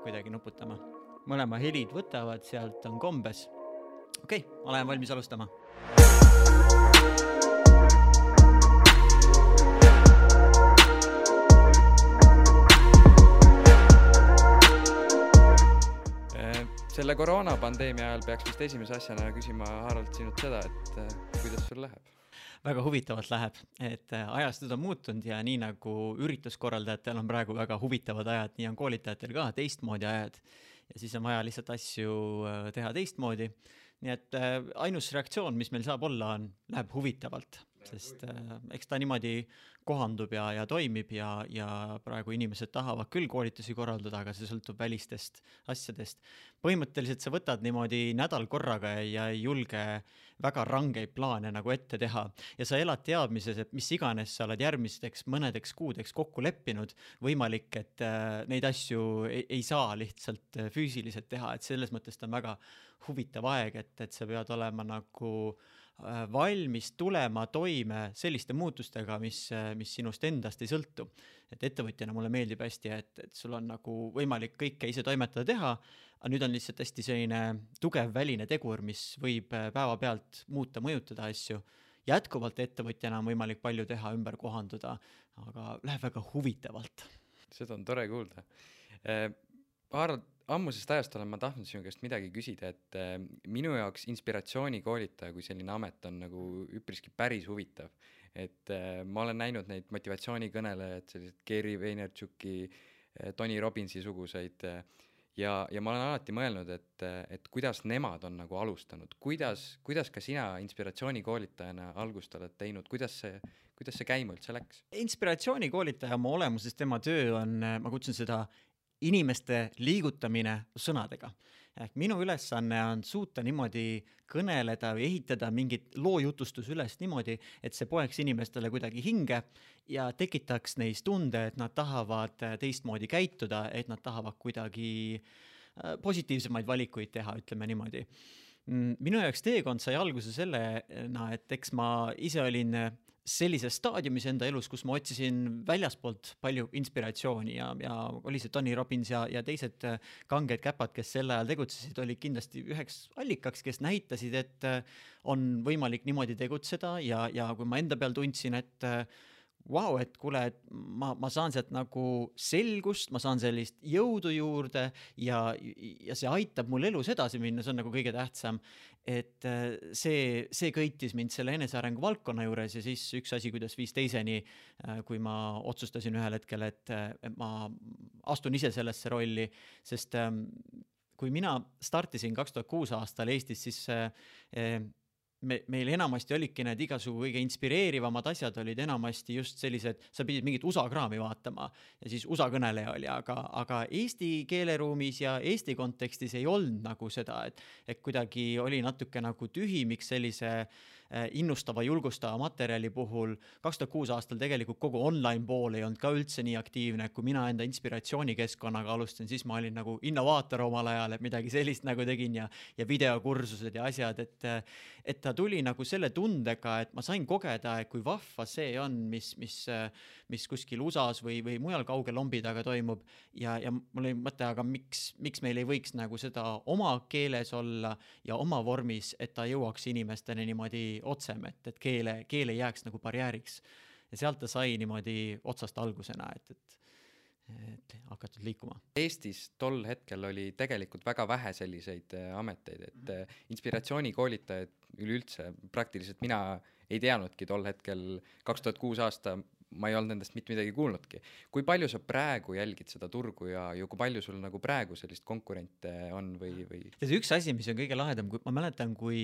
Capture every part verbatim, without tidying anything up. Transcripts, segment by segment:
kuidagi nuputama. Mõlema helid võtavad, sealt on kombes. Okei, okay, olen valmis alustama. Selle koroonapandeemia ajal peaks vist esimese asjana küsima Harald sinult seda, et kuidas sul läheb? Väga huvitavalt läheb, et ajastud on muutunud ja nii nagu ürituskorraldajatel on praegu väga huvitavad ajad, nii on koolitajatel ka teistmoodi ajad ja siis on vaja lihtsalt asju teha teistmoodi. Nii et ainus reaktsioon, mis meil saab olla, on, läheb huvitavalt, sest eks ta niimoodi kohandub ja, ja toimib ja, ja praegu inimesed tahavad küll koolitusi korraldada, aga see sõltub välistest asjadest. Põhimõtteliselt sa võtad niimoodi nädal korraga ja ei julge väga rangeid plaane nagu ette teha ja sa elad teadmises, et mis iganes sa oled järgmisteks mõnedeks kuudeks kokku leppinud, võimalik, et neid asju ei, ei saa lihtsalt füüsiliselt teha, et selles mõttes ta on väga huvitav aeg, et, et sa pead olema nagu valmis tulema toime selliste muutustega, mis, mis sinust endast ei sõltu. Et ettevõtjana mulle meeldib hästi, et, et sul on nagu võimalik kõike ise toimetada teha, aga nüüd on lihtsalt hästi selline tugev väline tegur, mis võib päeva pealt muuta, mõjutada asju. Jätkuvalt ettevõtjana on võimalik palju teha, ümber kohanduda, aga läheb väga huvitavalt. Seda on tore kuulda. Harald, ammusest ajast olen ma tahtnud sinu käest midagi küsida, et minu jaoks inspiratsioonikoolitaja kui selline amet on nagu üpriski päris huvitav. Et ma olen näinud neid motivatsioonikõnelejaid, sellised Gary Vaynerchuki, Tony Robbinsi suguseid ja, ja ma olen alati mõelnud, et, et kuidas nemad on nagu alustanud. Kuidas, kuidas ka sina inspiratsioonikoolitajana algust oled teinud? Kuidas see, kuidas see käima üldse läks? Inspiratsioonikoolitaja oma olemuses tema töö on, ma kutsun seda inimeste liigutamine sõnadega. Ehk minu ülesanne on suuta niimoodi kõneleda või ehitada mingit loojutustus üles niimoodi, et see poeks inimestele kuidagi hinge ja tekitaks neis tunde, et nad tahavad teistmoodi käituda, et nad tahavad kuidagi positiivsemaid valikuid teha, ütleme niimoodi. Minu jaoks teekond sai alguse sellena, et eks ma ise olin sellises staadiumis enda elus, kus ma otsisin väljaspoolt palju inspiratsiooni ja, ja oli see Tony Robbins ja, ja teised kanged käpad, kes sel ajal tegutsesid, oli kindlasti üheks allikaks, kes näitasid, et on võimalik niimoodi tegutseda ja, ja kui ma enda peal tundsin, et vau, et kuule, et ma, ma saan sealt nagu selgust, ma saan sellist jõudu juurde ja, ja see aitab mul elus edasi minna, see on nagu kõige tähtsam. Et see, see kõitis mind selle enesearengu valdkonna juures ja siis üks asi, kuidas viis teiseni, kui ma otsustasin ühel hetkel, et ma astun ise sellesse rolli, sest kui mina startisin kaks tuhat kuus aastal Eestis, siis Me, meil enamasti olidki need igasugu kõige inspireerivamad asjad olid enamasti just sellised, sa pidid mingit U S A kraami vaatama ja siis U S A kõneleja oli, aga, aga Eesti keeleruumis ja Eesti kontekstis ei olnud nagu seda, et, et kuidagi oli natuke nagu tühimiks sellise innustava, julgustava materjali puhul. kaks tuhat kuus aastal tegelikult kogu online pool ei olnud ka üldse nii aktiivne, kui mina enda inspiratsioonikeskkonnaga alustasin, siis ma olin nagu innovaator omal ajal, et midagi sellist nagu tegin ja, ja videokursused ja asjad, et, et ta tuli nagu selle tundega, et ma sain kogeda, et kui vahva see on, mis, mis, mis kuskil U S A-s või, või mujal kauge lombi taga toimub ja, ja mul oli mõte, aga miks, miks meil ei võiks nagu seda oma keeles olla ja oma vormis, et ta jõuaks inimesteni niimoodi otsem, et, et keele, keele jääks nagu barjääriks. Ja sealt ta sai niimoodi otsast algusena, et, et, et hakatud liikuma. Eestis tol hetkel oli tegelikult väga vähe selliseid ameteid, et mm-hmm. inspiratsioonikoolitajaid üleüldse praktiliselt mina ei teadnudki tol hetkel kaks tuhat kuus aasta ma ei olnud nendest mitte midagi kuulnudki. Kui palju sa praegu jälgid seda turgu ja, ja kui palju sul nagu praegu sellist konkurente on või, või... Ja see üks asi, mis on kõige lahedam, kui ma mäletan, kui,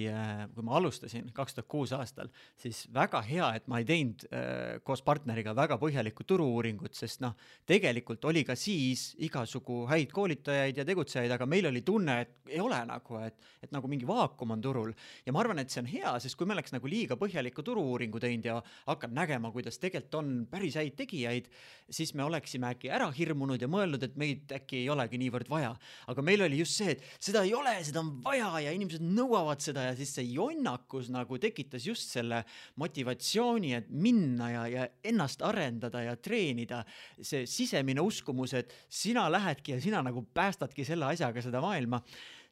kui ma alustasin kaks tuhat kuus aastal, siis väga hea, et ma ei teinud äh, koos partneriga väga põhjalikku turu-uuringut, sest noh, tegelikult oli ka siis igasugu häid koolitajaid ja tegutsejaid, aga meil oli tunne, et ei ole nagu, et, et nagu mingi vaakum on turul. Ja ma arvan, et see on hea, sest kui me oleks nagu liiga põhjalikku turu-uuringu teinud ja hakkad nägema, kuidas tegelikult on on päris häid tegijaid, siis me oleksime äkki ära hirmunud ja mõelnud, et meid äkki ei olegi niivõrd vaja. Aga meil oli just see, et seda ei ole, seda on vaja ja inimesed nõuavad seda ja siis see jonnakus nagu tekitas just selle motivatsiooni, et minna ja, ja ennast arendada ja treenida. See sisemine uskumus, et sina lähedki ja sina nagu päästadki selle asjaga seda maailma.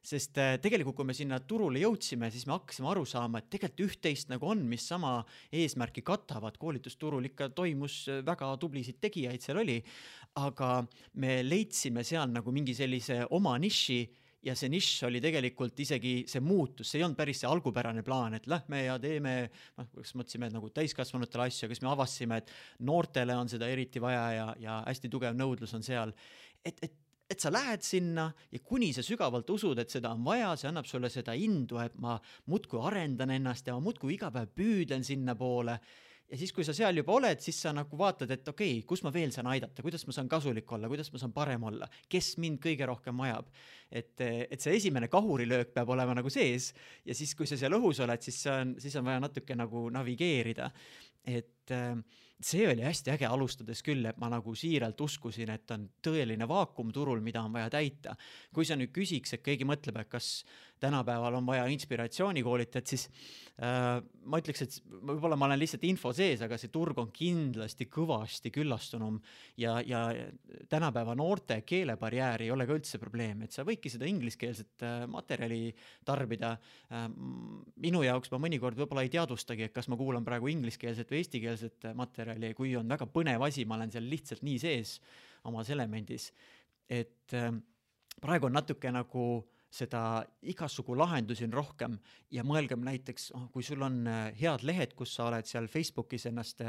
Sest tegelikult, kui me sinna turule jõudsime, siis me hakkasime aru saama, et tegelikult üht-teist nagu on, mis sama eesmärki katavad. Koolitusturul ikka toimus väga tublisid tegijaid, seal oli, aga me leidsime seal nagu mingi sellise oma niši ja see nišš oli tegelikult isegi see muutus, see ei olnud päris see algupärane plaan, et lähme ja teeme, noh, kas mõtlesime nagu täiskasvanutele asju, kas me avastasime, et noortele on seda eriti vaja ja, ja hästi tugev nõudlus on seal, et, et et sa lähed sinna ja kuni sa sügavalt usud, et seda on vaja, see annab sulle seda indu, et ma muudkui arendan ennast ja ma muudkui iga päev püüdlen sinna poole. Ja siis, kui sa seal juba oled, siis sa nagu vaatad, et okei, kus ma veel saan aidata, kuidas ma saan kasulik olla, kuidas ma saan parem olla, kes mind kõige rohkem vajab. Et, et see esimene kahurilöök peab olema nagu sees ja siis, kui sa seal õhus oled, siis on, siis on vaja natuke nagu navigeerida. Et see oli hästi äge alustades küll, et ma nagu siiralt uskusin, et on tõeline vaakum turul, mida on vaja täita. Kui sa nüüd küsiks, et keegi mõtleb, et kas tänapäeval on vaja inspiratsioonikoolitajat, siis äh, ma ütleks, et võib-olla ma olen lihtsalt info sees, aga see turg on kindlasti kõvasti küllastunum ja, ja tänapäeva noorte keelebarjäär ei ole ka üldse probleem, et sa võidki seda ingliskeelset äh, materjali tarbida. Äh, minu jaoks ma mõnikord võib-olla ei teadvustagi, et kas ma kuulan praegu ingliskeelset või eestikeelset materjali, kui on väga põnev asi, ma olen seal lihtsalt nii sees omas elemendis, et äh, praegu on natuke nagu seda igasugu lahendusi on rohkem ja mõelgem näiteks, oh, kui sul on head lehed, kus sa oled seal Facebookis ennast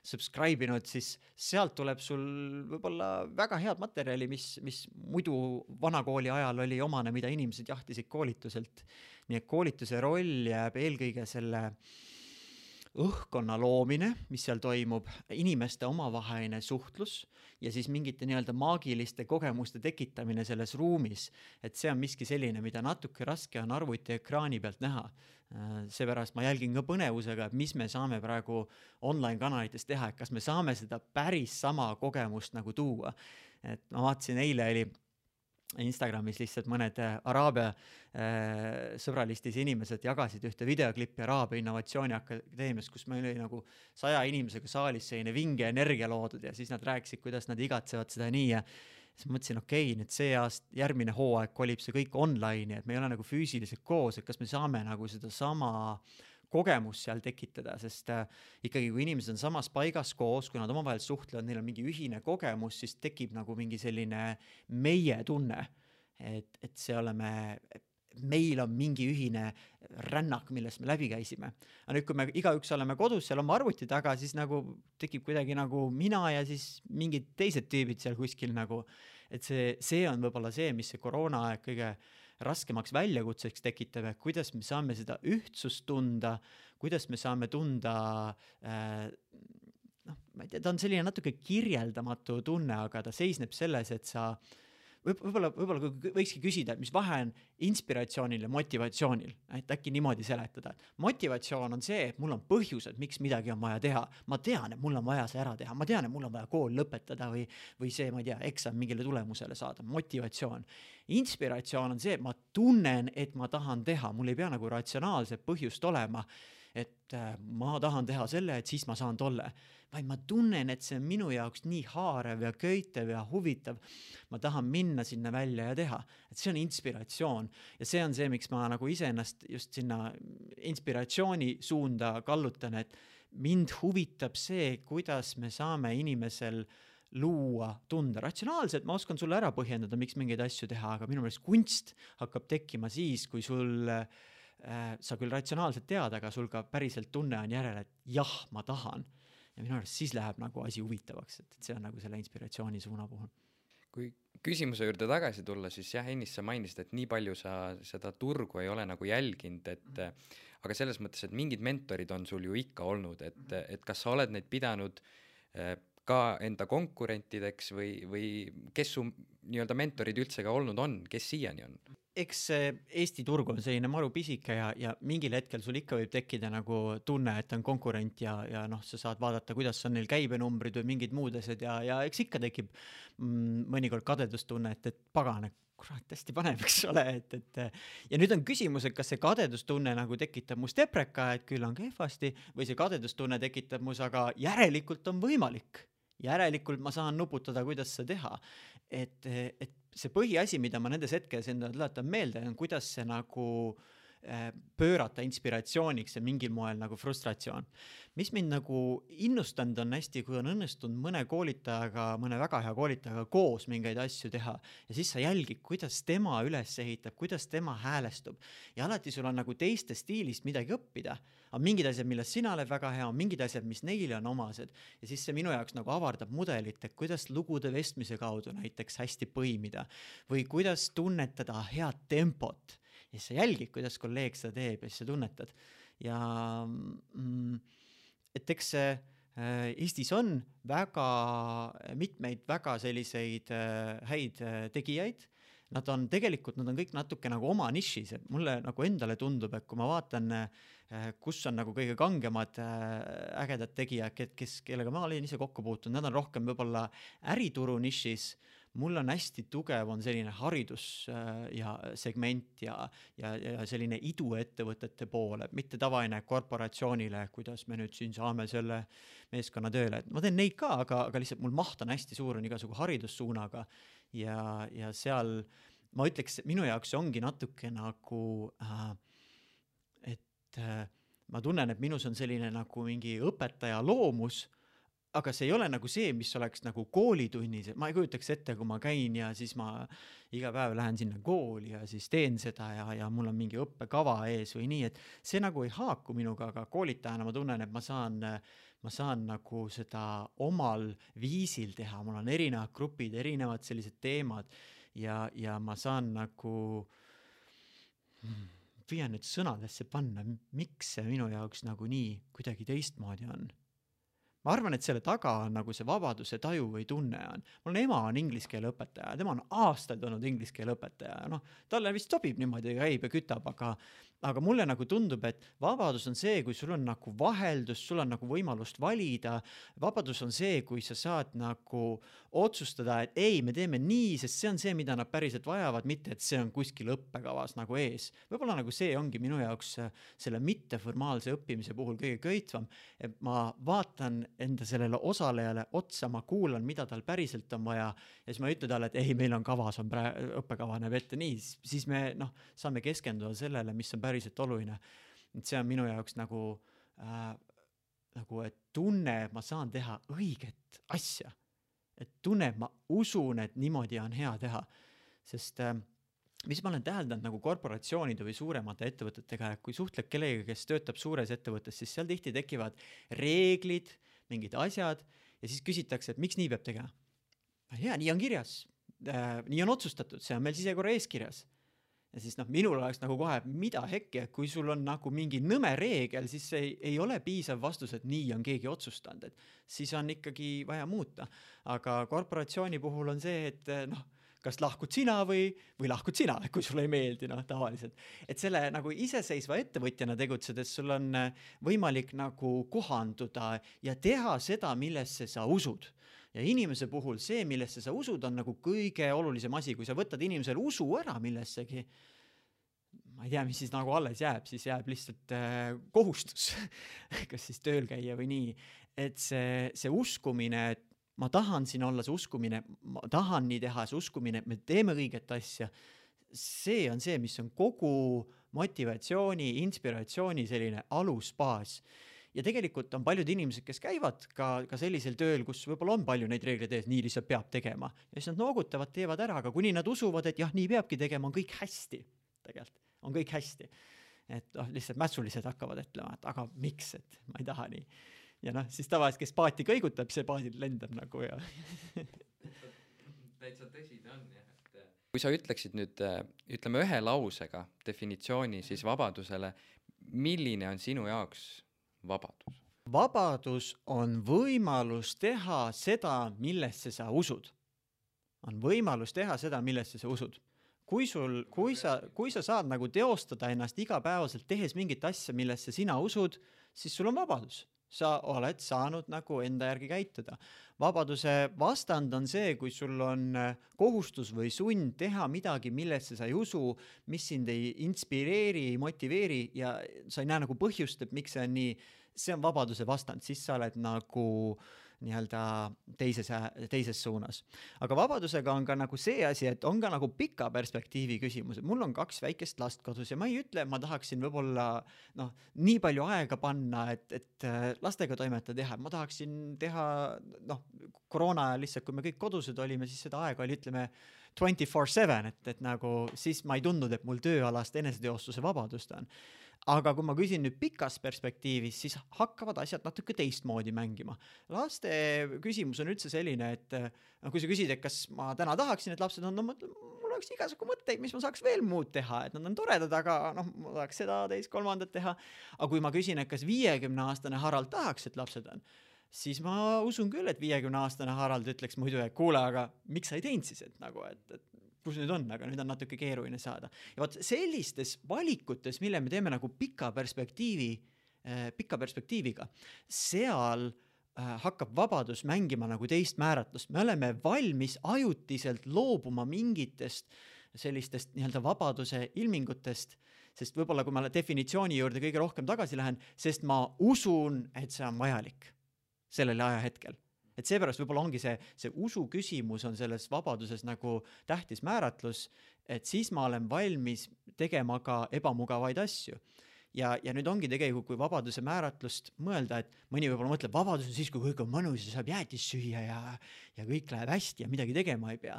subscribe inud, siis sealt tuleb sul võib-olla väga head materjali, mis, mis muidu vanakooli ajal oli omane, mida inimesed jahtisid koolituselt. Nii et koolituse roll jääb eelkõige selle õhkkonna loomine, mis seal toimub, inimeste omavaheline suhtlus ja siis mingite nii-öelda maagiliste kogemuste tekitamine selles ruumis, et see on miski selline, mida natuke raske on arvuti ekraani pealt näha. Seepärast ma jälgin ka põnevusega, et mis me saame praegu online kanalites teha, et kas me saame seda päris sama kogemust nagu tuua. Et ma vaatasin, eile oli Instagramis lihtsalt mõned Araabia äh, sõbralistis inimesed jagasid ühte videoklippi Araabia Innovatsiooni Akadeemiast, kus meil oli nagu saja inimesega saalis selline vinge energia loodud ja siis nad rääkisid, kuidas nad igatsevad seda nii ja siis mõtlesin, okei, nüüd see aast järgmine hooaeg kolib see kõik online, et me ei ole nagu füüsiliselt koos, et kas me saame nagu seda sama kogemus seal tekitada, sest äh, ikkagi kui inimesed on samas paigas koos, kui nad omavahel suhtlevad, neil on mingi ühine kogemus, siis tekib nagu mingi selline meie tunne, et, et see oleme, meil on mingi ühine rännak, millest me läbi käisime. Aga nüüd, kui me igaüks oleme kodus seal oma arvuti taga, siis nagu tekib kuidagi nagu mina ja siis mingid teised tüübid seal kuskil nagu, et see, see on võib-olla see, mis see koroona aeg kõige raskemaks väljakutseks tekitab, et kuidas me saame seda ühtsust tunda, kuidas me saame tunda, äh, noh, ma ei tea, ta on selline natuke kirjeldamatu tunne, aga ta seisneb selles, et sa võib-olla, võib-olla võikski küsida, et mis vahe on inspiratsioonil ja motivatsioonil, et äkki niimoodi seletada. Motivatsioon on see, et mul on põhjused, miks midagi on vaja teha. Ma tean, et mul on vaja see ära teha. Ma tean, et mul on vaja kool lõpetada või, või see, ma ei tea, eksam mingile tulemusele saada. Motivatsioon. Inspiratsioon on see, et ma tunnen, et ma tahan teha. Mul ei pea nagu ratsionaalset põhjust olema, et ma tahan teha selle, et siis ma saan tolle. Vaid ma tunnen, et see on minu jaoks nii haarev ja köitev ja huvitav. Ma tahan minna sinna välja ja teha. Et see on inspiratsioon. Ja see on see, miks ma nagu ise ennast just sinna inspiratsiooni suunda kallutan, et mind huvitab see, kuidas me saame inimesel luua tunde. Ratsionaalselt ma oskan sulle ära põhjendada, miks mingeid asju teha, aga minu meelest kunst hakkab tekkima siis, kui sul äh, sa küll ratsionaalselt tead, aga sul ka päriselt tunne on järele, et jah, ma tahan. Ja minu arust siis läheb nagu asi huvitavaks, et see on nagu selle inspiratsiooni suuna puhul. Kui küsimuse juurde tagasi tulla, siis jah, Ennis, sa mainisid, et nii palju sa seda turgu ei ole nagu jälginud, et mm-hmm. aga selles mõttes, et mingid mentorid on sul ju ikka olnud, et, mm-hmm. et kas sa oled neid pidanud ka enda konkurentideks või, või kes su nii-öelda mentorid üldse ka olnud on, kes siiani on? eks see Eesti turg on selline maru pisike ja, ja mingil hetkel sul ikka võib tekkida nagu tunne, et on konkurent ja, ja noh, sa saad vaadata, kuidas on neil käibenumbrid või mingid muud asjad ja, ja eks ikka tekib mm, mõnikord kadedustunne, et, et pagane, kurat, hästi paneb, eks ole, et, et ja nüüd on küsimus, et kas see kadedustunne nagu tekitab must epreka, et küll on kehvasti, või see kadedustunne tekitab mus, aga järelikult on võimalik. Järelikult ma saan nuputada, kuidas seda teha. Et, et see põhiasi, mida ma nendes hetkes enda tuletan meelde, on kuidas see nagu pöörata inspiratsiooniks ja mingil moel nagu frustratsioon. Mis mind nagu innustanud on hästi, kui on õnnestunud mõne koolitajaga, mõne väga hea koolitajaga koos mingeid asju teha ja siis sa jälgid, kuidas tema üles ehitab, kuidas tema häälestub ja alati sul on nagu teiste stiilist midagi õppida. On mingid asjad, milles sina oled väga hea, on mingid asjad, mis neile on omased ja siis see minu jaoks nagu avardab mudelit, et kuidas lugude vestmise kaudu näiteks hästi põimida või kuidas tunnetada head tempot. Ja siis sa jälgid, kuidas kolleeg seda teeb ja siis sa tunnetad. Ja mm, et eks see äh, Eestis on väga mitmeid väga selliseid äh, häid äh, tegijaid. Nad on tegelikult, nad on kõik natuke nagu oma nišis. Et mulle nagu endale tundub, et kui ma vaatan, äh, kus on nagu kõige kangemad äh, ägedad tegijad, kes, kellega ma olen ise kokku puutunud, nad on rohkem võib-olla ärituru nišis. Mul on hästi tugev on selline haridus ja segment ja, ja, ja selline iduettevõtete poole, mitte tavaine korporatsioonile, kuidas me nüüd siin saame selle meeskonna tööle. Ma teen neid ka, aga, aga lihtsalt mul maht on hästi suur on igasugu haridussuunaga ja, ja seal ma ütleks, minu jaoks ongi natuke nagu, äh, et äh, ma tunnen, et minus on selline nagu mingi õpetaja loomus, aga see ei ole nagu see, mis oleks nagu koolitunnis. Ma ei kujutaks ette, kui ma käin ja siis ma iga päev lähen sinna kooli ja siis teen seda ja, ja mul on mingi õppekava ees või nii, et see nagu ei haaku minuga, aga koolitajana ma tunnen, et ma saan, ma saan nagu seda omal viisil teha. Mul on erinevad grupid, erinevad sellised teemad ja, ja ma saan nagu püüan nüüd sõnadesse panna, miks see minu jaoks nagu nii kuidagi teistmoodi on. Ma arvan, et selle taga on nagu see vabaduse taju või tunne on. Mul ema on ingliskeele õpetaja, tema on aastaid olnud ingliskeele õpetaja. No, talle vist sobib niimoodi käib ja kütab, aga, aga mulle nagu tundub, et vabadus on see, kui sul on nagu vaheldus, sul on nagu võimalust valida. Vabadus on see, kui sa saad nagu otsustada, et ei, me teeme nii, sest see on see, mida nad päriselt vajavad, mitte et see on kuskil õppekavas nagu ees. Võib-olla nagu see ongi minu jaoks selle mitteformaalse õppimise puhul kõige köitvam, et ma vaatan enda sellele osalejale otsa, ma kuulan, mida tal päriselt on vaja ja siis ma ütlen talle, et ei, meil on kavas, on prä- õppekava näeb ette nii, siis me noh, saame keskenduda sellele, mis on päriselt oluline. Et see on minu jaoks nagu, äh, nagu et tunne, ma saan teha õiget asja. Et tunne, ma usun, et niimoodi on hea teha. Sest äh, mis ma olen täheldanud nagu korporatsioonide või suuremate ettevõtetega, kui suhtled kellega, kes töötab suures ettevõttes, siis seal tihti tekivad reeglid, mingid asjad ja siis küsitakse, et miks nii peab tegema. Ja nii on kirjas, äh, nii on otsustatud, see on meil sisekorra eeskirjas. Ja siis noh, minul oleks nagu kohe, mida hekki, et kui sul on nagu mingi nõme reegel, siis ei, ei ole piisav vastus, et nii on keegi otsustanud, et siis on ikkagi vaja muuta. Aga korporatsiooni puhul on see, et noh, kas lahkud sina või, või lahkud sina, kui sulle ei meeldi, noh, tavaliselt. Et selle nagu iseseisva ettevõtjana tegutsedes sul on võimalik nagu kohanduda ja teha seda, millesse sa usud. Ja inimese puhul see, millesse sa usud, on nagu kõige olulisem asi. Kui sa võtad inimesele usu ära millessegi, ma ei tea, mis siis nagu alles jääb, siis jääb lihtsalt äh, kohustus, kas siis tööl käia või nii. Et see, see uskumine, et ma tahan siin olla, see uskumine, ma tahan nii teha, see uskumine, et me teeme õiget asja, see on see, mis on kogu motivatsiooni, inspiratsiooni selline alusbaas. Ja tegelikult on paljud inimesed, kes käivad ka, ka sellisel tööl, kus võib-olla on palju neid reegleid ees, nii lihtsalt peab tegema. Ja siis nad noogutavad, teevad ära, aga kuni nad usuvad, et jah, nii peabki tegema, on kõik hästi. Tegelikult on kõik hästi. Et oh, lihtsalt mässulised hakkavad ütlema, et aga miks, et ma ei taha nii. Ja noh, siis tavaliselt, kes paati kõigutab, see paadil lendab nagu ja. Täitsa tõsi ta on, jah. Et kui sa ütleksid nüüd, ütleme ühe lausega definitsiooni siis vabadusele, milline on sinu jaoks vabadus? Vabadus on võimalus teha seda, millesse sa usud. On võimalus teha seda, millesse sa usud. kui sul, kui sa, kui sa saad nagu teostada ennast igapäevaselt tehes mingit asja, millesse sina usud, siis sul on vabadus. Sa oled saanud nagu enda järgi käituda. Vabaduse vastand on see, kui sul on kohustus või sund teha midagi, millesse sa ei usu, mis sind ei inspireeri, ei motiveeri ja sa ei näe nagu põhjust, et miks see on nii, see on vabaduse vastand, siis sa oled nagu nii-öelda teises, teises suunas. Aga vabadusega on ka nagu see asi, et on ka nagu pika perspektiivi küsimus. Mul on kaks väikest last kodus ja ma ei ütle, ma tahaksin võib-olla noh, nii palju aega panna, et, et lastega toimetada teha. Ma tahaksin teha noh, koroona ajal lihtsalt, kui me kõik kodused olime, siis seda aega oli, ütleme, twenty-four seven, et, et nagu siis ma ei tundnud, et mul tööalast eneseteostuse vabadust on. Aga kui ma küsin nüüd pikas perspektiivis, siis hakkavad asjad natuke teistmoodi mängima. Laste küsimus on üldse selline, et no, kui sa küsid, et kas ma täna tahaksin, et lapsed on, no mul oleks igasugu mõtteid, mis ma saaks veel muud teha, et nad on toredad, aga noh, ma tahaks seda teist kolmandat teha. Aga kui ma küsin, et kas viiekümne aastane Harald tahaks, et lapsed on, siis ma usun küll, et viiekümne aastane Harald ütleks muidu, et kuule, aga miks sa ei teinud siis, et nagu, et, et kus nüüd on, aga nüüd on natuke keeruline saada. Ja vaat sellistes valikutes, mille me teeme nagu pika perspektiivi, pika perspektiiviga, seal hakkab vabadus mängima nagu teist määratlust. Me oleme valmis ajutiselt loobuma mingitest sellistest nii-öelda vabaduse ilmingutest, sest võib-olla kui ma definitsiooni juurde kõige rohkem tagasi lähen, sest ma usun, et see on vajalik sellele ajahetkel. Et seepärast võib-olla ongi see, see usu küsimus on selles vabaduses nagu tähtis määratlus, et siis ma olen valmis tegema ka ebamugavaid asju. Ja, ja nüüd ongi tegelikult, kui vabaduse määratlust mõelda, et mõni võib-olla mõtleb, vabadus on siis, kui kõik on mõnus ja saab jäätis süüa ja, ja kõik läheb hästi ja midagi tegema ei pea.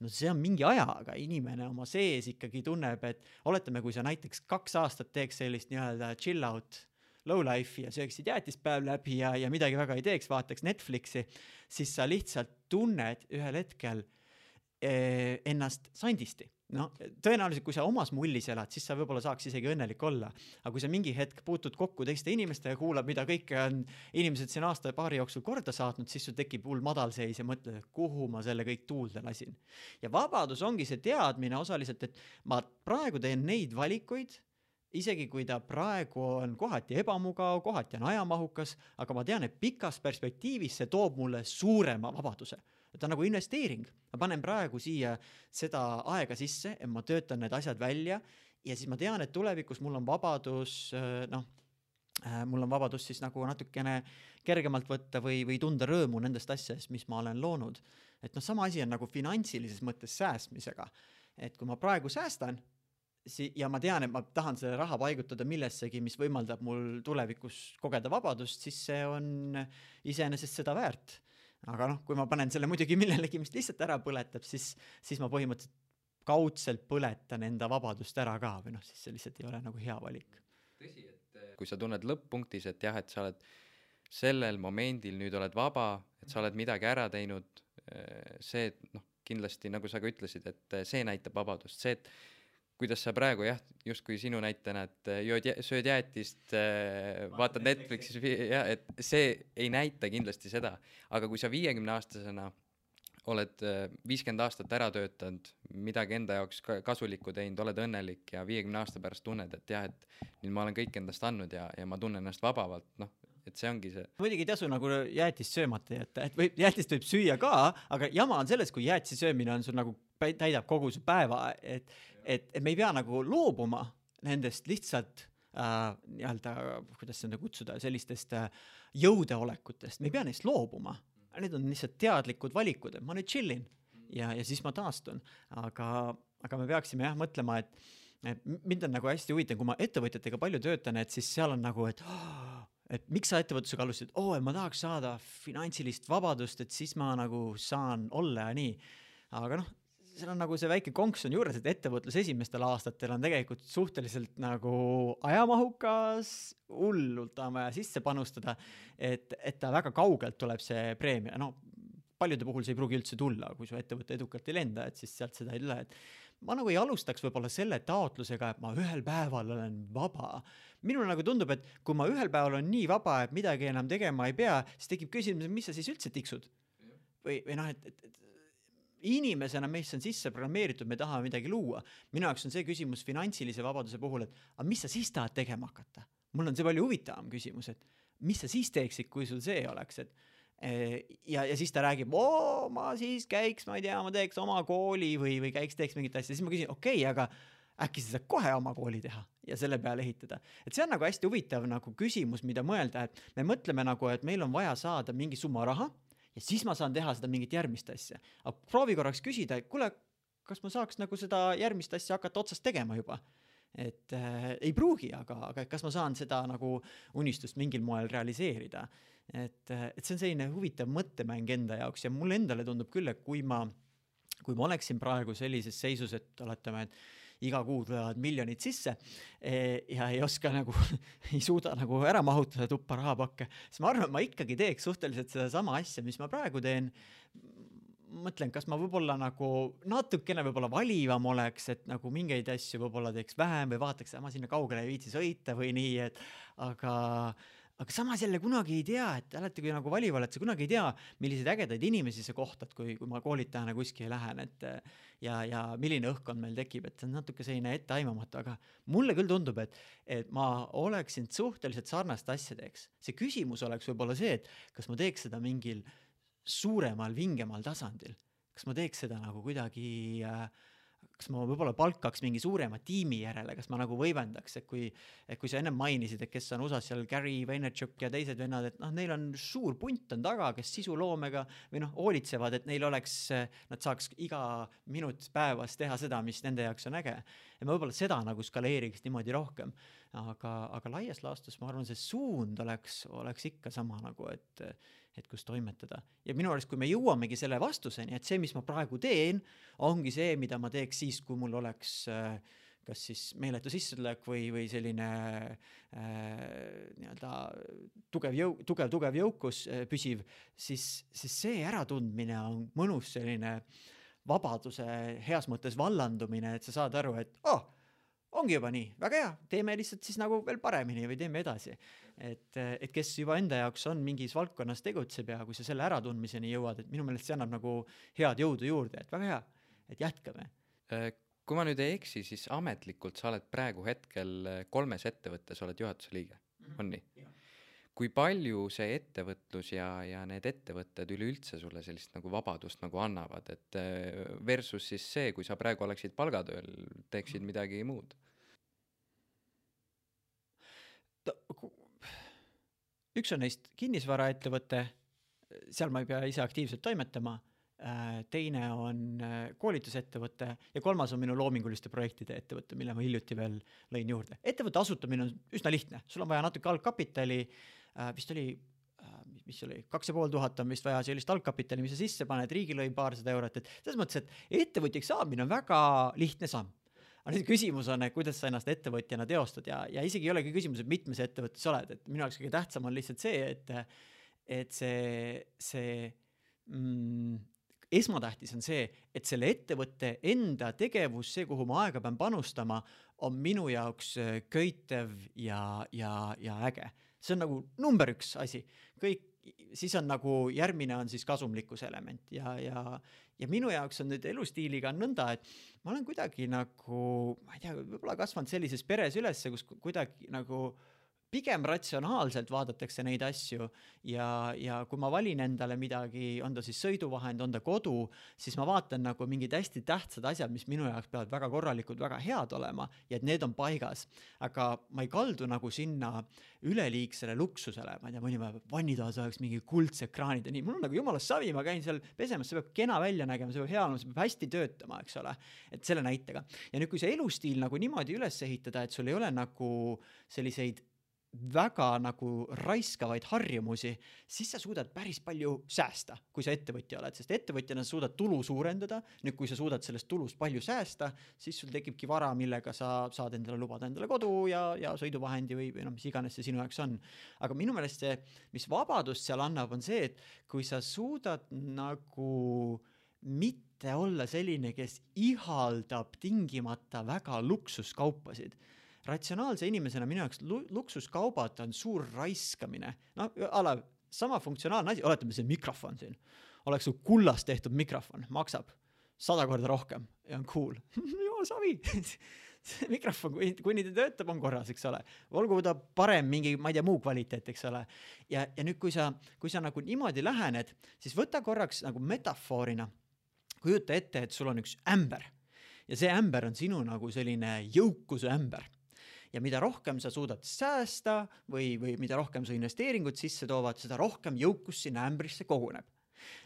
No see on mingi aja, aga inimene oma sees ikkagi tunneb, et oletame, kui sa näiteks kaks aastat teeks sellist nii-öelda chill out low life ja sööksid jäätispäev läbi ja, ja midagi väga ei teeks, vaataks Netflixi, siis sa lihtsalt tunned ühel hetkel eh, ennast sandisti. No, tõenäoliselt, kui sa omas mullis elad, siis sa võib-olla saaks isegi õnnelik olla. Aga kui sa mingi hetk puutud kokku teiste inimeste ja kuulab, mida kõike on inimesed siin aasta ja paari jooksul korda saatnud, siis sul tekib hull madalseis ja mõtled, et kuhu ma selle kõik tuulde lasin. Ja vabadus ongi see teadmine osaliselt, et ma praegu teen neid valikuid, isegi kui ta praegu on kohati ebamugav, kohati on ajamahukas, aga ma tean, et pikas perspektiivis see toob mulle suurema vabaduse. Ta on nagu investeering. Ma panen praegu siia seda aega sisse, et ma töötan need asjad välja ja siis ma tean, et tulevikus mul on vabadus, noh, mul on vabadus siis nagu natukene kergemalt võtta või, või tunda rõõmu nendest asjadest, mis ma olen loonud. Et noh, sama asi on nagu finantsilises mõttes säästmisega. Et kui ma praegu säästan, ja ma tean, et ma tahan selle raha paigutada millessegi, mis võimaldab mul tulevikus kogeda vabadust, siis see on iseenesest seda väärt. Aga noh, kui ma panen selle muidugi millelegi, mis lihtsalt ära põletab, siis, siis ma põhimõtteliselt kaudselt põletan enda vabadust ära ka, või noh, siis see lihtsalt ei ole nagu hea valik. Tõsi, et kui sa tunned lõpp-punktis, et jah, et sa oled sellel momendil nüüd oled vaba, et sa oled midagi ära teinud, see, noh, kindlasti, nagu sa ka ütlesid, et see näitab vabadust, see, et kuidas sa praegu jah, just kui sinu näitena, et jood, sööd jäätist, vaatad Netflixis, ja, et see ei näita kindlasti seda, aga kui sa viiekümne aastasena oled viiskümmend aastat ära töötanud, midagi enda jaoks kasulikku teinud, oled õnnelik ja viiekümne aasta pärast tunned, et jah, et nüüd ma olen kõik endast andnud ja, ja ma tunnen ennast vabavalt, noh, et see ongi see. Muidugi ei tasu nagu jäätist söömata jätta, et võib, jäätist võib süüa ka, aga jama on selles, kui jäätise söömine on sul nagu täidab kogu su päeva, et Et, et me ei pea nagu loobuma nendest lihtsalt äh, nii-öelda, kuidas seda kutsuda, sellistest äh, jõudeolekutest. Me ei pea neist loobuma. Need on lihtsalt teadlikud valikud, et ma nüüd chillin ja, ja siis ma taastun. Aga, aga me peaksime jah mõtlema, et, et mind on nagu hästi huvitav, kui ma ettevõtjatega palju töötan, et siis seal on nagu, et, oh, et miks sa ettevõtlusega alustasid? Oo, oh, ma tahaks saada finantsilist vabadust, et siis ma nagu saan olla ja nii. Aga noh, seal on nagu see väike konks on juures, et ettevõtlus esimestel aastatel on tegelikult suhteliselt nagu ajamahukas, hullult on vaja sisse panustada, et, et ta väga kaugelt tuleb see preemia. No, paljude puhul see ei pruugi üldse tulla, kui su ettevõte edukalt ei lenda, et siis sealt seda ei tule. Et ma nagu ei alustaks võib-olla selle taotlusega, et ma ühel päeval olen vaba. Minul nagu tundub, et kui ma ühel päeval on nii vaba, et midagi enam tegema ei pea, siis tekib küsimus, mis sa siis üldse tiksud? Või, või noh, et, et inimesena meist on sisse programmeeritud, me tahame midagi luua. Minu jaoks on see küsimus finantsilise vabaduse puhul, et aga mis sa siis tahad tegema hakata? Mul on see palju huvitavam küsimus, et mis sa siis teeksid, kui sul see oleks, et ja, ja siis ta räägib, oo, ma siis käiks, ma ei tea, ma teeks oma kooli või, või käiks, teeks mingit asja. Siis ma küsin, okei, okay, aga äkki sa saad kohe oma kooli teha ja selle peale ehitada. Et see on nagu hästi huvitav nagu küsimus, mida mõelda, et me mõtleme nagu, et meil on vaja saada mingi summa raha ja siis ma saan teha seda mingit järgmist asja. Aga proovi korraks küsida, et kuule, kas ma saaks nagu seda järgmist asja hakata otsast tegema juba? Et äh, ei pruugi, aga, aga kas ma saan seda nagu unistust mingil moel realiseerida? Et, et see on selline huvitav mõttemäng enda jaoks ja mulle endale tundub küll, et kui ma, kui ma oleksin praegu sellises seisus, et oletame, et iga kuu tulevad miljonid sisse ja ei oska nagu, ei suuda nagu ära mahutada tuppa rahapakke, siis ma arvan, et ma ikkagi teeks suhteliselt seda sama asja, mis ma praegu teen. Mõtlen, kas ma võib-olla nagu natukene võib-olla valivam oleks, et nagu mingeid asju võib-olla teeks vähem või vaataks, et ma sinna kaugele ei viitsi sõita või nii, et aga Aga samas jälle kunagi ei tea, et alati kui nagu valival, et sa kunagi ei tea, milliseid ägedaid inimesi sa kohtad, kui, kui ma koolitajana kuskil lähen, et ja, ja milline õhkkond meil tekib, et see on natuke selline etteaimamatu, aga mulle küll tundub, et, et ma oleksin suhteliselt sarnast asja teeks. See küsimus oleks võib-olla see, et kas ma teeks seda mingil suuremal, vingemal tasandil, kas ma teeks seda nagu kuidagi äh, kas ma võib-olla palkaks mingi suurema tiimi järele, kas ma nagu võimendaks, et kui, et kui sa ennem mainisid, et kes on U S A-s seal Gary Vaynerchuk ja teised vennad, et noh, neil on suur punt on taga, kes sisuloomega või noh, hoolitsevad, et neil oleks, nad saaks iga minut päevas teha seda, mis nende jaoks on äge. Ja ma võib-olla seda nagu skaleeriks niimoodi rohkem, aga, aga laias laastus ma arvan, see suund oleks, oleks ikka sama nagu, et et kus toimetada. Ja minu arust, kui me jõuamegi selle vastuseni, et see, mis ma praegu teen, ongi see, mida ma teeks siis, kui mul oleks kas siis meeletu sissetulek või, või selline äh, nii-öelda tugev, jõu, tugev, tugev jõukus äh, püsiv, siis, siis see äratundmine on mõnus selline vabaduse heas mõttes vallandumine, et sa saad aru, et oh, ongi juba nii, väga hea, teeme lihtsalt siis nagu veel paremini või teeme edasi. Et, et kes juba enda jaoks on mingis valdkonnas tegutseb ja kui sa selle äratundmiseni jõuad, et minu meelest see annab nagu head jõudu juurde, et väga hea, et jätkame. Kui ma nüüd ei eksi, siis ametlikult sa oled praegu hetkel kolmes ettevõttes, oled juhatuse liige, on nii? Ja. Kui palju see ettevõtlus ja, ja need ettevõtted üleüldse sulle sellist nagu vabadust nagu annavad, et versus siis see, kui sa praegu oleksid palgatööl, teeksid midagi muud? Üks on neist kinnisvaraettevõte, seal ma ei pea ise aktiivselt toimetama, teine on koolitusettevõte ja kolmas on minu loominguliste projektide ettevõte, mille ma hiljuti veel lõin juurde. Ettevõtte asutamine on üsna lihtne, sul on vaja natuke algkapitali, vist oli, mis oli, kaks ja pool tuhat on vist vaja sellist algkapitali, mis sa sisse paned, riigilõi paarsada eurot, et selles mõttes, et ettevõtjaks saamine on väga lihtne samm. Aga nüüd küsimus on, et kuidas sa ennast ettevõtjana teostad ja, ja isegi ei olegi küsimus, et mitmes ettevõttes oled, et minu jaoks kõige tähtsam on lihtsalt see, et, et see, see mm, esmatähtis on see, et selle ettevõtte enda tegevus, see, kuhu ma aega pean panustama, on minu jaoks köitev ja, ja, ja äge. See on nagu number üks asi. Kõik, siis on nagu järgmine on siis kasumlikkuse element ja, ja, ja minu jaoks on nüüd elustiiliga nõnda, et ma olen kuidagi nagu, ma ei tea, võib-olla kasvanud sellises peres ülesse, kus kuidagi nagu pigem ratsionaalselt vaadatakse neid asju ja, ja kui ma valin endale midagi, on ta siis sõiduvahend, on ta kodu, siis ma vaatan nagu mingid hästi tähtsad asjad, mis minu jaoks peavad väga korralikud, väga head olema ja et need on paigas. Aga ma ei kaldu nagu sinna üleliigsele luksusele, ma ei tea, mõni päev vannitoas oleks mingi kuldse ekraanid ja nii, mul on nagu jumala savi, ma käin seal pesemas, see peab kena välja nägema, see peab hea olema, see peab hästi töötama, eks ole, et selle näitega. Ja nüüd, kui see elustiil nagu niimoodi üles ehitada, et sul ei ole nagu selliseid väga nagu raiskavaid harjumusi, siis sa suudad päris palju säästa, kui sa ettevõtja oled, sest ettevõtjana sa suudad tulu suurendada, nüüd kui sa suudad sellest tulust palju säästa, siis sul tekibki vara, millega sa saad endale lubada endale kodu ja, ja sõiduvahendi või, või no, mis iganes see sinu jaoks on. Aga minu meelest see, mis vabadust seal annab, on see, et kui sa suudad nagu mitte olla selline, kes ihaldab tingimata väga luksuskaupasid. Ratsionaalse inimesena minu jaoks luksuskaubad on suur raiskamine. No, ala, sama funktsionaalne asi, oletame see mikrofon siin. Oleks kullast tehtud mikrofon, maksab sada korda rohkem ja on cool. Joo, savi. See mikrofon, kui, kuni ta töötab, on korras, eks ole. Olgu ta parem mingi, ma ei tea, muu kvaliteet, eks ole. Ja, ja nüüd, kui sa, kui sa nagu niimoodi lähened, siis võta korraks nagu metafoorina, kujuta ette, et sul on üks ämber. Ja see ämber on sinu nagu selline jõukuse ämber. Ja mida rohkem sa suudad säästa või, või mida rohkem sa investeeringud sisse toovad, seda rohkem jõukus sinna ämbrisse koguneb.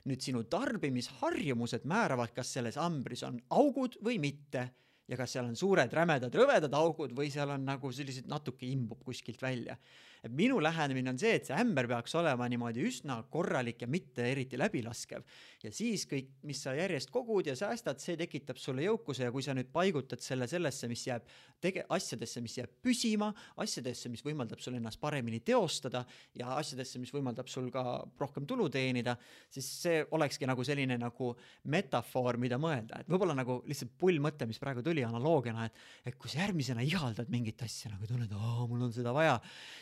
Nüüd sinu tarbimisharjumused määravad, kas selles ämbris on augud või mitte. Ja kas seal on suured, rämedad, rõvedad augud või seal on nagu sellised natuke imbub kuskilt välja. Et minu lähenemine on see, et see ämber peaks olema niimoodi üsna korralik ja mitte eriti läbilaskev. Ja siis kõik, mis sa järjest kogud ja säästad, see tekitab sulle jõukuse ja kui sa nüüd paigutad selle sellesse, mis jääb tege- asjadesse, mis jääb püsima, asjadesse, mis võimaldab sul ennast paremini teostada ja asjadesse, mis võimaldab sul ka rohkem tulu teenida, siis see olekski nagu selline nagu metafoor, mida mõelda. Et võibolla nagu lihtsalt pull mõte, mis praegu tuli analoogiana, et, et kui sa järgmisena ihaldad mingit asja, nagu tunned, aa, mul on seda vaja,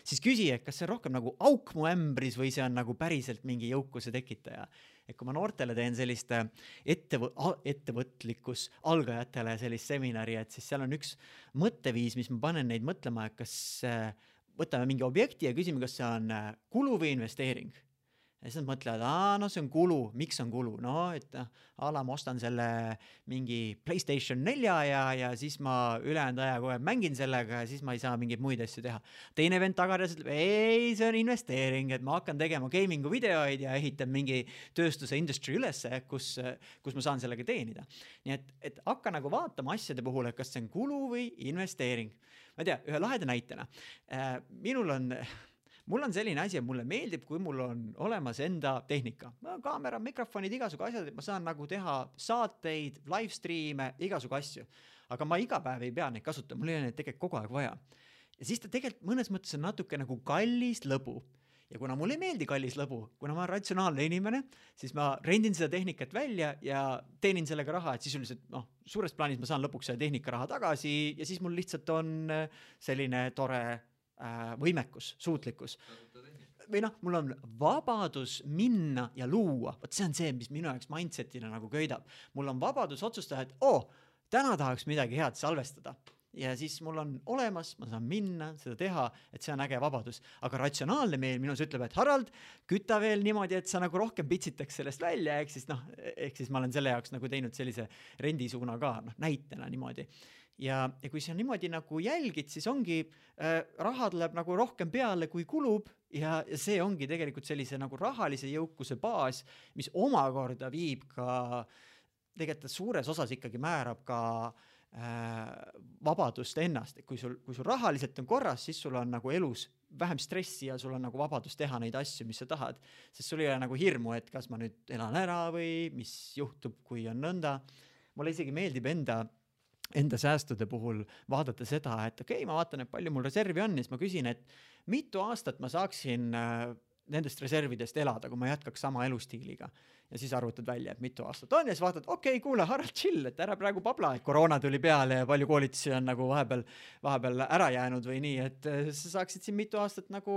siis küsi, et kas see on rohkem nagu auk mu ämbris või see on nagu päriselt mingi jõukuse tekitaja. Et kui ma noortele teen sellist ettevõ- ettevõtlikkus algajatele sellist seminari, et siis seal on üks mõtteviis, mis ma panen neid mõtlema, et kas võtame mingi objekti ja küsime, kas see on kulu või investeering. Ja siis nad mõtlevad, aa, no see on kulu, miks on kulu? No, et ala ma ostan selle mingi PlayStation nelja ja, ja siis ma ülejäänud aja kohe mängin sellega ja siis ma ei saa mingeid muid asju teha. Teine vend tagades ütleb, ei, see on investeering, et ma hakkan tegema gamingu videoid ja ehitan mingi tööstuse industry ülesse, kus, kus ma saan sellega teenida. Nii et, et hakka nagu vaatama asjade puhul, et kas see on kulu või investeering. Ma ei tea, ühe laheda näitena. Minul on... Mul on selline asi, et mulle meeldib, kui mul on olemas enda tehnika. Kaamera, mikrofonid, igasugu asjad, et ma saan nagu teha saateid, live streame, igasugu asju. Aga ma iga päev ei pea neid kasutada, mul ei ole neid tegelikult kogu aeg vaja. Ja siis ta tegelikult mõnes mõttes on natuke nagu kallis lõbu. Ja kuna mul ei meeldi kallis lõbu, kuna ma olen ratsionaalne inimene, siis ma rendin seda tehnikat välja ja teenin sellega raha, et sisuliselt noh, suures plaanis ma saan lõpuks selle tehnika raha tagasi ja siis mul lihtsalt on selline tore võimekus, suutlikkus. Või noh, mul on vabadus minna ja luua. Võt see on see, mis minu jaoks mindsetina nagu köidab. Mul on vabadus otsustada, et oo, täna tahaks midagi head salvestada. Ja siis mul on olemas, ma saan minna, seda teha, et see on äge vabadus. Aga ratsionaalne meel minus ütleb, et Harald, kütta veel niimoodi, et sa nagu rohkem pitsitaks sellest välja, ehk siis, noh, ehk siis ma olen selle jaoks nagu teinud sellise rendisuuna ka, noh, näitena niimoodi. Ja, ja kui sa niimoodi nagu jälgid, siis ongi, äh, raha tuleb nagu rohkem peale, kui kulub ja, ja see ongi tegelikult sellise nagu rahalise jõukuse baas, mis omakorda viib ka, tegelikult suures osas ikkagi määrab ka äh, vabadust ennast. Kui sul, kui sul rahaliselt on korras, siis sul on nagu elus vähem stressi ja sul on nagu vabadus teha neid asju, mis sa tahad. Sest sul ei ole nagu hirmu, et kas ma nüüd elan ära või mis juhtub, kui on nõnda. Mulle isegi meeldib enda enda säästude puhul vaadata seda, et okei, okay, ma vaatan, et palju mul reservi on, siis ma küsin, et mitu aastat ma saaksin nendest reservidest elada, kui ma jätkaks sama elustiiliga. Ja siis arvutad välja, et mitu aastat on ja siis vaatad, okei, okay, kuule, Harald, chill, et ära praegu pabla, et koroona tuli peale ja palju koolitusi on nagu vahepeal, vahepeal ära jäänud või nii, et sa saaksid siin mitu aastat nagu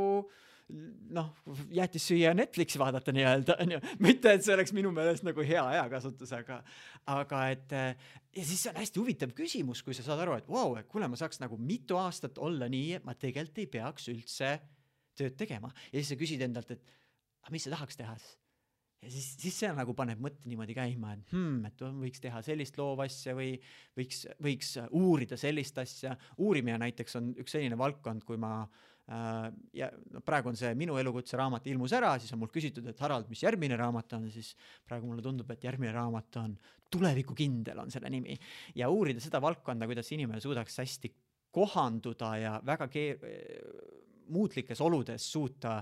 noh, jäetis süüa Netflixi vaadata nii-öelda, mitte et see oleks minu meelest nagu hea ajakasutus, aga, aga et ja siis see on hästi huvitav küsimus, kui sa saad aru, et wow, et kuule, ma saaks nagu mitu aastat olla nii, et ma tegelikult ei peaks üldse tööd tegema. Ja siis sa küsid endalt, et aga mis sa tahaks teha? Ja siis, siis see nagu paneb mõtte niimoodi käima, et, hmm, et võiks teha sellist loovasja või võiks, võiks uurida sellist asja. Uurimine näiteks on üks selline valdkond, kui ma ja praegu on see minu elukutse raamat ilmus ära, siis on mul küsitud, et Harald, mis järgmine raamat on, siis praegu mulle tundub, et järgmine raamat on Tulevikukindel on selle nimi ja uurida seda valdkonda, kuidas inimene suudaks hästi kohanduda ja väga keer... muutlikes oludes suuta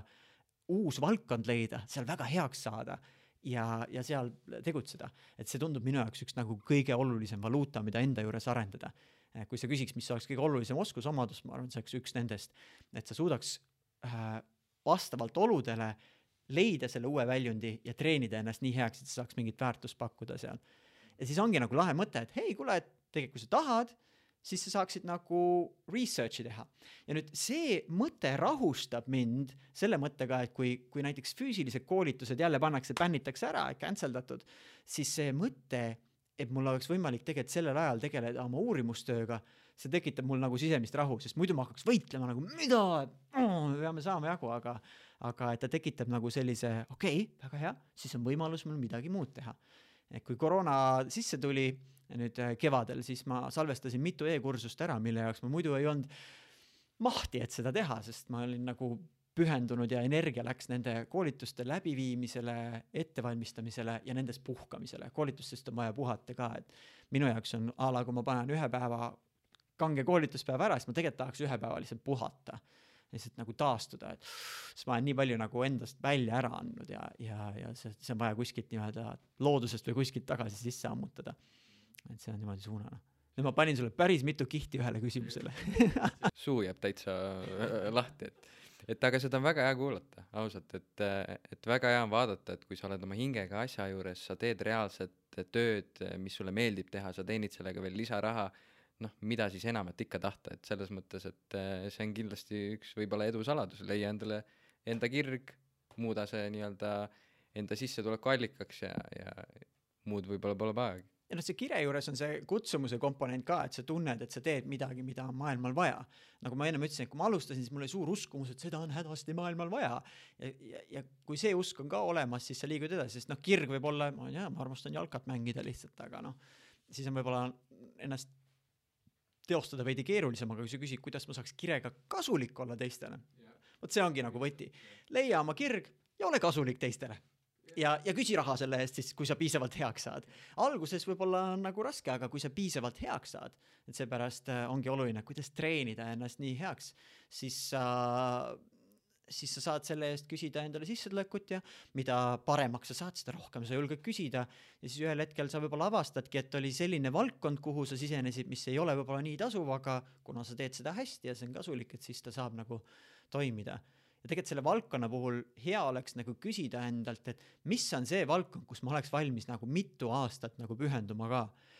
uus valdkond leida, seal väga heaks saada ja, ja seal tegutseda. Et see tundub minu jaoks üks nagu kõige olulisem valuuta, mida enda juures arendada. Kui sa küsiks, mis oleks kõige olulisem oskusomadus, ma arvan, see oleks üks nendest, et sa suudaks äh, vastavalt oludele leida selle uue väljundi ja treenida ennast nii heaks, et sa saaks mingit väärtust pakkuda seal. Ja siis ongi nagu lahe mõte, et hei, kuule, et tegelikult kui sa tahad, siis sa saaksid nagu researchi teha. Ja nüüd see mõte rahustab mind selle mõttega, et kui, kui näiteks füüsilised koolitused jälle pannakse, bännitakse ära, canceldatud, siis see mõte et mul oleks võimalik tegelikult sellel ajal tegeleda oma uurimustööga, see tekitab mul nagu sisemist rahu, sest muidu ma hakkaks võitlema nagu, mida, me peame saama jagu, aga, aga et ta tekitab nagu sellise, okei, okay, väga hea, siis on võimalus mul midagi muud teha. Et kui koroona sisse tuli nüüd kevadel, siis ma salvestasin mitu e-kursust ära, mille jaoks ma muidu ei olnud mahti, et seda teha, sest ma olin nagu pühendunud ja energia läks nende koolituste läbiviimisele, ettevalmistamisele ja nendest puhkamisele. Koolitustest on vaja puhata ka, et minu jaoks on ala, kui ma panen ühe päeva kange koolituspäeva ära, siis ma tegelikult tahaks ühe päeva lihtsalt puhata, lihtsalt nagu taastuda, et siis ma olen nii palju nagu endast välja ära andnud ja, ja, ja see, see on vaja kuskilt nii-öelda loodusest või kuskilt tagasi sisse ammutada. Et see on niimoodi suunana. Nüüd ma panin sulle päris mitu kihti ühele küsimusele. Suu jääb täitsa lahti, et, et aga seda on väga hea kuulata, ausalt, et, et väga hea on vaadata, et kui sa oled oma hingega asja juures, sa teed reaalset tööd, mis sulle meeldib teha, sa teenid sellega veel lisaraha, noh, mida siis enamat ikka tahta, et selles mõttes, et see on kindlasti üks võib-olla edu saladus, leia endale enda kirg, muuda see nii-öelda enda sissetuleku allikaks ja, ja muud võib-olla pole paagi. Ja noh, see kire juures on see kutsumuse komponent ka, et sa tunned, et sa teed midagi, mida on maailmal vaja. Nagu ma enne ütlesin, et kui ma alustasin, siis mul oli suur uskumus, et seda on hädasti maailmal vaja. Ja, ja, ja kui see usk on ka olemas, siis sa liigud edasi, sest noh, kirg võib olla, ma, ja, ma armastan jalkat mängida lihtsalt, aga noh, siis on võib-olla ennast teostada veidi keerulisem, aga kui sa küsid, kuidas ma saaks kirega kasulik olla teistele, vot see ongi nagu võti. Leia oma kirg ja ole kasulik teistele. Ja, ja küsi raha selle eest siis, kui sa piisavalt heaks saad. Alguses võib-olla on nagu raske, aga kui sa piisavalt heaks saad, et seepärast ongi oluline, kuidas treenida ennast nii heaks, siis sa, siis sa saad selle eest küsida endale sissetulekut ja mida paremaks sa saad, seda rohkem sa julged küsida. Ja siis ühel hetkel sa võib-olla avastadki, et oli selline valdkond, kuhu sa sisenesid, mis ei ole võib-olla nii tasuv, aga kuna sa teed seda hästi ja see on kasulik, et siis ta saab nagu toimida. Ja tegelikult selle valdkonna puhul hea oleks nagu küsida endalt, et mis on see valdkond, kus ma oleks valmis nagu mitu aastat nagu pühenduma ka.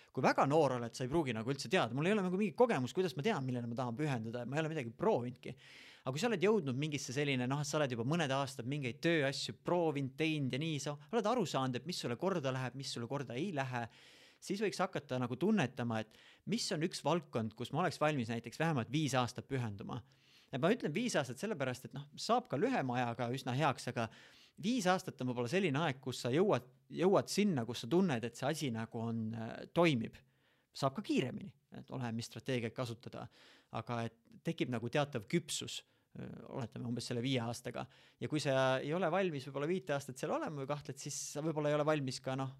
Kui väga noor oled, sa ei pruugi nagu üldse teada. Mul ei ole nagu mingi kogemus, kuidas ma tean, millele ma tahan pühenduda. Ma ei ole midagi proovinudki. Aga kui sa oled jõudnud mingisse selline, noh, sa oled juba mõned aastad mingeid tööasju proovinud, teinud ja nii, sa oled aru saanud, et mis sulle korda läheb, mis sulle korda ei lähe, siis võiks hakata nagu tunnetama, et mis on üks valdkond, kus ma oleks valmis näiteks vähemalt viis aastat pühenduma. Ja ma ütlen viis aastat sellepärast, et noh, saab ka lühema ajaga üsna heaks, aga viis aastat on võib-olla selline aeg, kus sa jõuad, jõuad sinna, kus sa tunned, et see asi nagu on, toimib. Saab ka kiiremini, et ole, mis strateegiat kasutada, aga et tekib nagu teatav küpsus, oletame umbes selle viie aastaga. Ja kui sa ei ole valmis võib-olla viite aastat seal olema või kahtled, siis sa võib-olla ei ole valmis ka noh,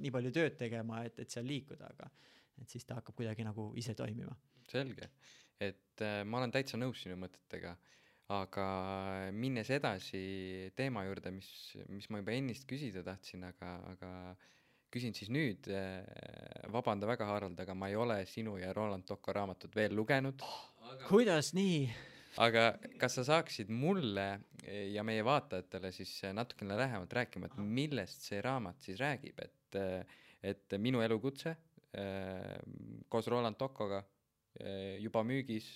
nii palju tööd tegema, et, et seal liikuda, aga et siis ta hakkab kuidagi nagu ise toimima. Selge. Et äh, ma olen täitsa nõus sinu mõtetega, aga minnes edasi teema juurde, mis, mis ma juba ennist küsida tahtsin, aga, aga küsin siis nüüd, äh, vabanda väga Harald, aga ma ei ole sinu ja Roland Tocco raamatut veel lugenud. Aga, kuidas nii? Aga kas sa saaksid mulle ja meie vaatajatele siis natukene lähemalt rääkima, et millest see raamat siis räägib, et, et minu elukutse äh, koos Roland Toccoga juba müügis,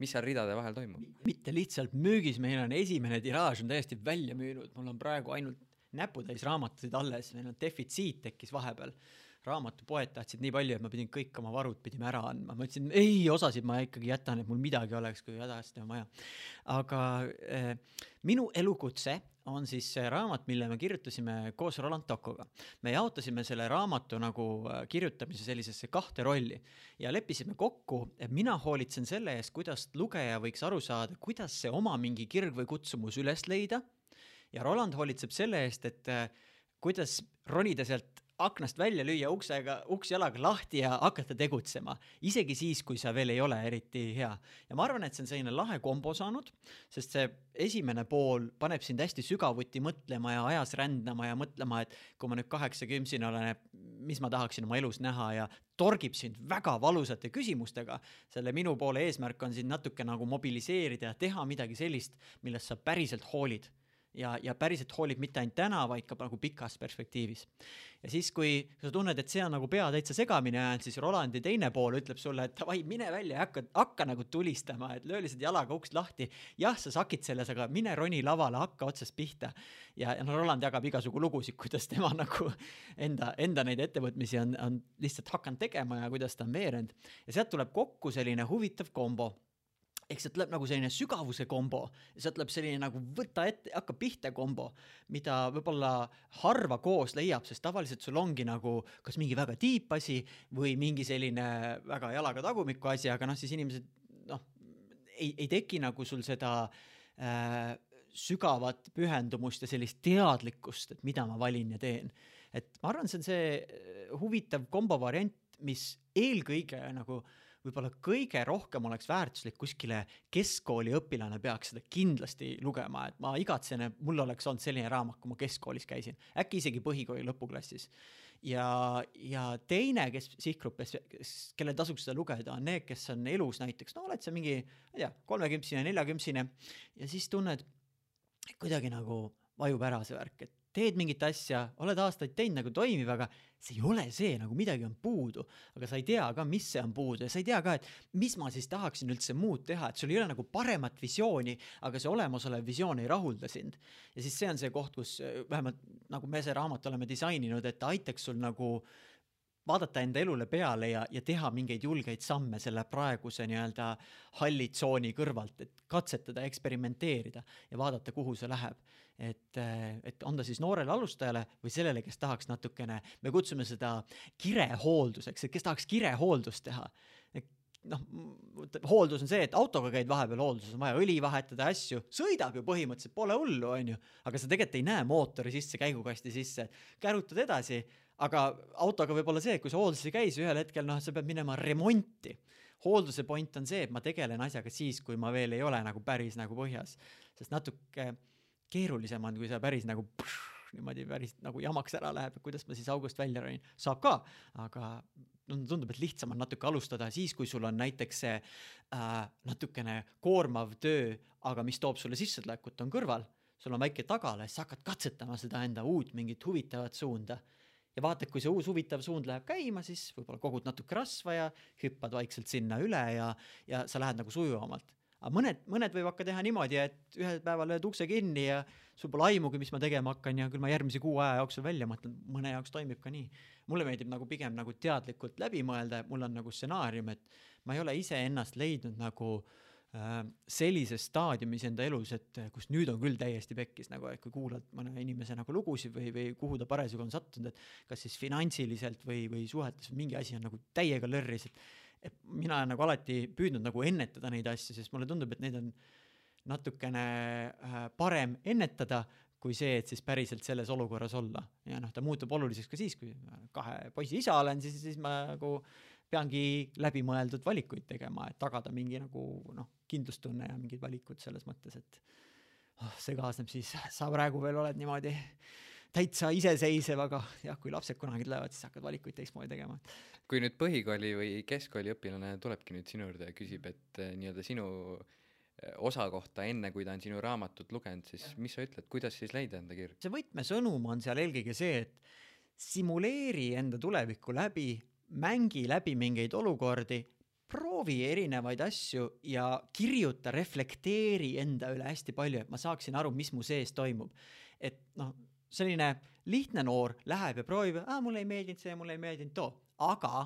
mis seal ridade vahel toimub? Mitte lihtsalt müügis, meil on esimene tiraaž on täiesti välja müünud, mul on praegu ainult näputäis raamatuid alles, meil on defitsiit tekkis vahepeal. Raamatupoed tahtsid nii palju, et ma pidin kõik oma varud pidime ära andma. Ma ütlesin, ei, osasid ma ikkagi jätan, et mul midagi oleks, kui hädasti on vaja. Aga eh, minu elukutse on siis see raamat, mille me kirjutasime koos Roland Toccoga. Me jaotasime selle raamatu nagu kirjutamise sellisesse kahte rolli ja leppisime kokku, et mina hoolitsen selle eest, kuidas lugeja võiks aru saada, kuidas see oma mingi kirg või kutsumus üles leida. Ja Roland hoolitseb selle eest, et kuidas ronida sealt aknast välja lüüa uksega, uks jalaga lahti ja hakata tegutsema. Isegi siis, kui sa veel ei ole eriti hea. Ja ma arvan, et see on selline lahe kombo saanud, sest see esimene pool paneb sind hästi sügavuti mõtlema ja ajas rändama ja mõtlema, et kui ma nüüd kaheksakümsina olen, mis ma tahaksin oma elus näha ja torgib sind väga valusate küsimustega. Selle minu poole eesmärk on sind natuke nagu mobiliseerida ja teha midagi sellist, millest sa päriselt hoolid. ja, ja päriselt hoolib mitte ainult täna, vaid ka nagu pikas perspektiivis. Ja siis, kui sa tunned, et see on nagu pea täitsa segamine ajanud, siis Rolandi teine pool ütleb sulle, et vai, mine välja ja hakka, hakka nagu tulistama, et löö lihtsalt jalaga uks lahti. Jah, sa sakid selles, aga mine roni lavale, hakka otsast pihta. Ja, ja no Roland jagab igasugu lugusid, kuidas tema nagu enda, enda neid ettevõtmisi on, on lihtsalt hakanud tegema ja kuidas ta on veerend. Ja sealt tuleb kokku selline huvitav kombo. Ehk see tuleb nagu selline sügavuse kombo, ja see tuleb selline nagu võtta ette, hakka pihta kombo, mida võib-olla harva koos leiab, sest tavaliselt sul ongi nagu kas mingi väga tiip asi või mingi selline väga jalaga tagumiku asi, aga noh, siis inimesed noh, ei, ei teki nagu sul seda äh, sügavat pühendumust ja sellist teadlikkust, et mida ma valin ja teen. Et ma arvan, see on see huvitav kombo variant, mis eelkõige nagu võib-olla kõige rohkem oleks väärtuslik kuskile keskkooli õpilane peaks seda kindlasti lugema, et ma igatsen, et mul oleks olnud selline raamat, kui ma keskkoolis käisin, äkki isegi põhikooli lõpuklassis. Ja, ja teine, kes sihtgruppes, kelle tasuks seda lugeda, on need, kes on elus näiteks, no oled sa mingi, ma ei tea, kolmekümsine, neljakümsine ja siis tunned, kuidagi nagu vajub ära see värk, et teed mingit asja, oled aastaid teinud nagu toimib, aga see ei ole see, nagu midagi on puudu, aga sa ei tea ka, mis see on puudu ja sa ei tea ka, et mis ma siis tahaksin üldse muud teha, et sul ei ole nagu paremat visiooni, aga see olemasolev visioon ei rahulda sind. Ja siis see on see koht, kus vähemalt nagu me see raamat oleme disaininud, et aitaks sul nagu vaadata enda elule peale ja, ja teha mingeid julgeid samme selle praeguse nii-öelda hallitsooni kõrvalt, et katsetada, eksperimenteerida ja vaadata, kuhu see läheb. Et, et on ta siis noorele alustajale või sellele, kes tahaks natukene, me kutsume seda kirehoolduseks, et kes tahaks kirehooldust teha. Noh, hooldus on see, et autoga käid vahepeal hoolduses, on vaja õli vahetada asju, sõidab ju põhimõtteliselt, pole hullu, on ju, aga sa tegelikult ei näe mootori sisse, käigukasti sisse, kärutad edasi, aga autoga võib olla see, et kui sa hoolduses ei käis ühel hetkel, noh, sa pead minema remonti. Hoolduse point on see, et ma tegelen asjaga siis, kui ma veel ei ole nagu päris nagu põhjas, sest natuke keerulisem on, kui sa päris nagu pš, niimoodi päris nagu jamaks ära läheb, kuidas ma siis august välja roin. Saab ka, aga tundub, et lihtsam on natuke alustada siis, kui sul on näiteks see äh, natukene koormav töö, aga mis toob sulle sissetulekut on kõrval, sul on väike tagala, siis hakkad katsetama seda enda uut mingit huvitavat suunda. Ja vaatad, kui see uus huvitav suund läheb käima, siis võib-olla kogud natuke rasva ja hüppad vaikselt sinna üle ja, ja sa lähed nagu sujuvamalt. Aga mõned, mõned võib hakka teha niimoodi, et ühel päeval lööd ukse kinni ja sul pole aimugi, mis ma tegema hakkan ja küll ma järgmise kuu aja jooksul välja mõtlen, mõne jaoks toimib ka nii. Mulle meeldib nagu pigem nagu teadlikult läbi mõelda, mul on nagu stsenaarium, et ma ei ole ise ennast leidnud nagu äh, sellises staadiumis enda elus, et kus nüüd on küll täiesti pekkis, nagu, et kui kuulad mõne inimese nagu lugusid või, või kuhu ta parasjagu on sattunud, et kas siis finantsiliselt või, või suhetes mingi asi on nagu täiega lörris, et et mina olen nagu alati püüdnud nagu ennetada neid asju, sest mulle tundub, et neid on natukene parem ennetada kui see, et siis päriselt selles olukorras olla. Ja noh, ta muutub oluliseks ka siis, kui kahe poisi isa olen, siis, siis ma nagu peangi läbimõeldud valikuid tegema, et tagada mingi nagu noh, kindlustunne ja mingid valikud selles mõttes, et oh, see kaasneb siis, sa praegu veel oled niimoodi täitsa iseseisev, aga jah, kui lapsed kunagi tulevad, siis hakkad valikuid teistmoodi tegema. Kui nüüd põhikooli või keskkooli õpilane tulebki nüüd sinu juurde ja küsib, et nii-öelda sinu osa kohta enne, kui ta on sinu raamatut lugenud, siis mis sa ütled, kuidas siis leida enda kirg? See võtmesõnum on seal eelkõige see, et simuleeri enda tulevikku läbi, mängi läbi mingeid olukordi, proovi erinevaid asju ja kirjuta, reflekteeri enda üle hästi palju, et ma saaksin aru, mis mu sees toimub. Et noh, selline lihtne noor läheb ja proovib, ah, mulle ei meeldinud see, mulle ei meeldinud too, aga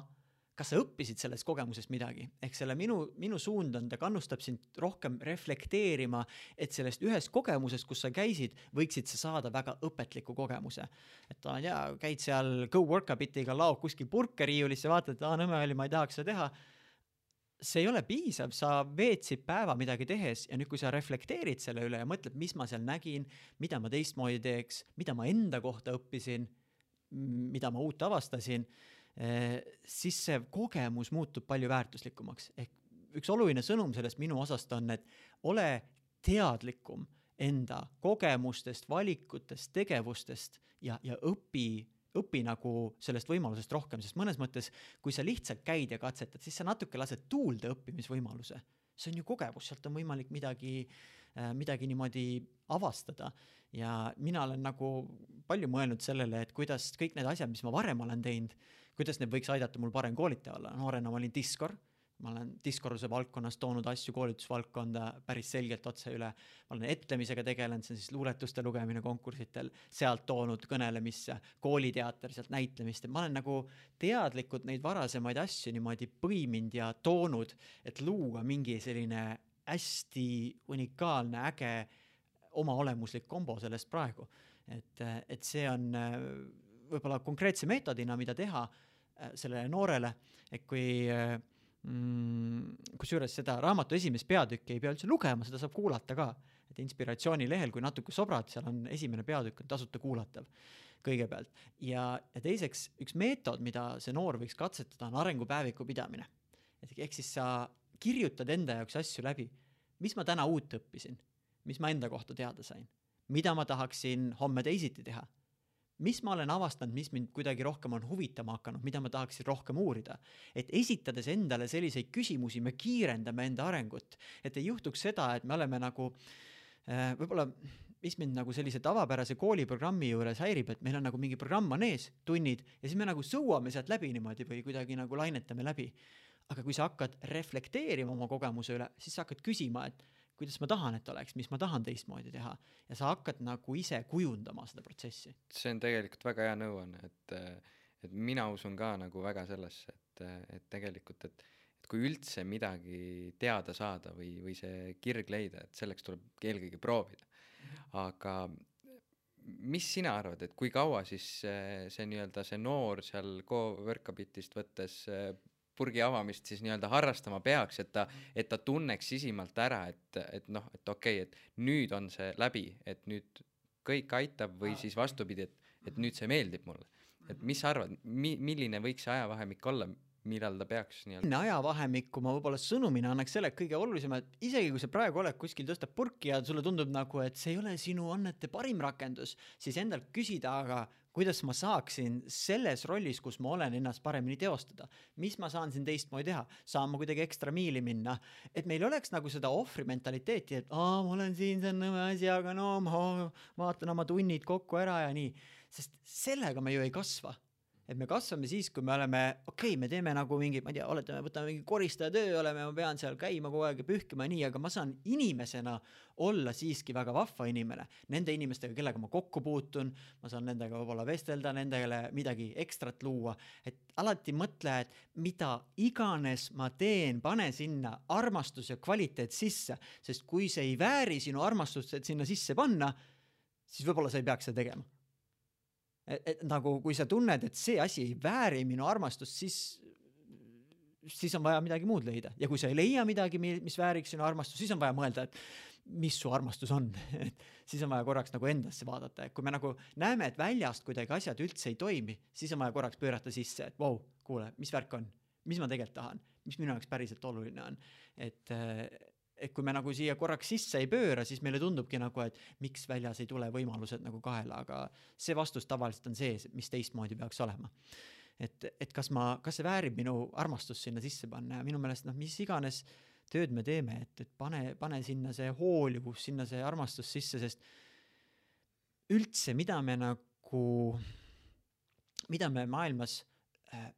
kas sa õppisid sellest kogemusest midagi? Ehk selle minu, minu suund on, ta kannustab sind rohkem reflekteerima, et sellest ühest kogemusest, kus sa käisid, võiksid sa saada väga õpetliku kogemuse. Et ta on, ja, käid seal Go Workabitiga laog kuskil purkeriiulisse, vaatad, et ah, nõme oli, ma ei tahaks seda teha. See ei ole piisav, sa veetsid päeva midagi tehes ja nüüd, kui sa reflekteerid selle üle ja mõtled, mis ma seal nägin, mida ma teistmoodi teeks, mida ma enda kohta õppisin, mida ma uut avastasin, siis see kogemus muutub palju väärtuslikumaks. Ehk üks oluline sõnum sellest minu osast on, et ole teadlikum enda kogemustest, valikutest, tegevustest ja, ja õpi õpi nagu sellest võimalusest rohkem, sest mõnes mõttes, kui sa lihtsalt käid ja katsetad, siis sa natuke lased tuulde õppimisvõimaluse. See on ju kogemus, sealt on võimalik midagi midagi niimoodi avastada. Ja mina olen nagu palju mõelnud sellele, et kuidas kõik need asjad, mis ma varem olen teinud, kuidas need võiks aidata mul parem koolitaja olla. Noorena ma olin diskor, ma olen diskoruse valdkonnas toonud asju koolitusvaldkonda päris selgelt otse üle. Ma olen etlemisega tegelenud, see on siis luuletuste lugemine konkursitel, sealt toonud kõnelemisse, kooliteater, sealt näitlemist. Ma olen nagu teadlikud neid varasemaid asju niimoodi põiminud ja toonud, et luua mingi selline hästi unikaalne, äge oma olemuslik kombo sellest praegu. Et, et see on võib-olla konkreetse meetodina, mida teha sellele noorele, et kui mm, kusjuures seda raamatu esimest peatükki ei pea üldse lugema, seda saab kuulata ka. Et inspiratsiooni lehel, kui natuke sobrad, seal on esimene peatükk on tasuta kuulatav kõigepealt. Ja, ja teiseks, üks meetod, mida see noor võiks katsetada, on arengupäeviku pidamine. Et ehk siis sa kirjutad enda jaoks asju läbi. Mis ma täna uut õppisin? Mis ma enda kohta teada sain? Mida ma tahaksin homme teisiti teha? Mis ma olen avastanud, mis mind kuidagi rohkem on huvitama hakanud, mida ma tahaksin rohkem uurida. Et esitades endale selliseid küsimusi, me kiirendame enda arengut. Et ei juhtuks seda, et me oleme nagu, võib-olla, mis mind nagu sellise tavapärase kooliprogrammi juures häirib, et meil on nagu mingi programm on ees, tunnid, ja siis me nagu sõuame sealt läbi niimoodi või kuidagi nagu lainetame läbi. Aga kui sa hakkad reflekteerima oma kogemuse üle, siis sa hakkad küsima, et kuidas ma tahan, et oleks, mis ma tahan teistmoodi teha. Ja sa hakkad nagu ise kujundama seda protsessi. See on tegelikult väga hea nõuanne, et, et mina usun ka nagu väga sellesse, et, et tegelikult, et, et kui üldse midagi teada saada või, või see kirg leida, et selleks tuleb eelkõige proovida. Aga mis sina arvad, et kui kaua siis see, see, nii-öelda see noor seal Go-Workabitist võttes purgi avamist siis nii-öelda harrastama peaks, et ta, et ta tunneks sisimalt ära, et, et noh, et okei, okay, et nüüd on see läbi, et nüüd kõik aitab või siis vastupidi, et, et nüüd see meeldib mulle. Et mis sa arvad, mi, milline võiks see ajavahemik olla, millal ta peaks nii-öelda? Ajavahemikku ma võib-olla sõnumina annaks selle kõige olulisem, et isegi kui sa praegu oled kuskil tõstab purki ja sulle tundub nagu, et see ei ole sinu annete parim rakendus, siis endalt küsida, aga kuidas ma saaksin selles rollis, kus ma olen ennast paremini teostada. Mis ma saan siin teistmoodi teha? Saan ma kuidagi ekstra miili minna? Et meil oleks nagu seda ohvri mentaliteeti, et aa, ma olen siin, see on nõme asi, aga no ma vaatan oma tunnid kokku ära ja nii. Sest sellega me ju ei kasva. Et me kasvame siis, kui me oleme, okei, okay, me teeme nagu mingi, ma ei tea, oletame, võtame mingi koristaja töö, oleme, ma pean seal käima kogu aeg ja pühkima nii, aga ma saan inimesena olla siiski väga vahva inimene. Nende inimestega, kellega ma kokku puutun, ma saan nendega võib-olla vestelda, nendele midagi ekstrat luua. Et alati mõtle, et mida iganes ma teen, pane sinna armastus ja kvaliteet sisse, sest kui see ei vääri sinu armastust, et sinna sisse panna, siis võib-olla sa ei peaks seda tegema. Et, et nagu kui sa tunned, et see asi ei vääri minu armastust, siis, siis on vaja midagi muud leida. Ja kui sa ei leia midagi, mis vääriks sinu armastust, siis on vaja mõelda, et mis su armastus on. Siis on vaja korraks nagu endasse vaadata. Kui me nagu näeme, et väljast kuidagi asjad üldse ei toimi, siis on vaja korraks pöörata sisse, et vau, wow, kuule, mis värk on? Mis ma tegelikult tahan? Mis minu jaoks päriselt oluline on? Et et kui me nagu siia korraks sisse ei pööra, siis meile tundubki nagu, et miks väljas ei tule võimalused nagu kaela, aga see vastus tavaliselt on see, mis teistmoodi peaks olema. Et, et kas, ma, kas see väärib minu armastust sinna sisse panna ja minu meelest, noh, mis iganes tööd me teeme, et, et pane, pane sinna see hoolivus, sinna see armastus sisse, sest üldse, mida me nagu, mida me maailmas äh,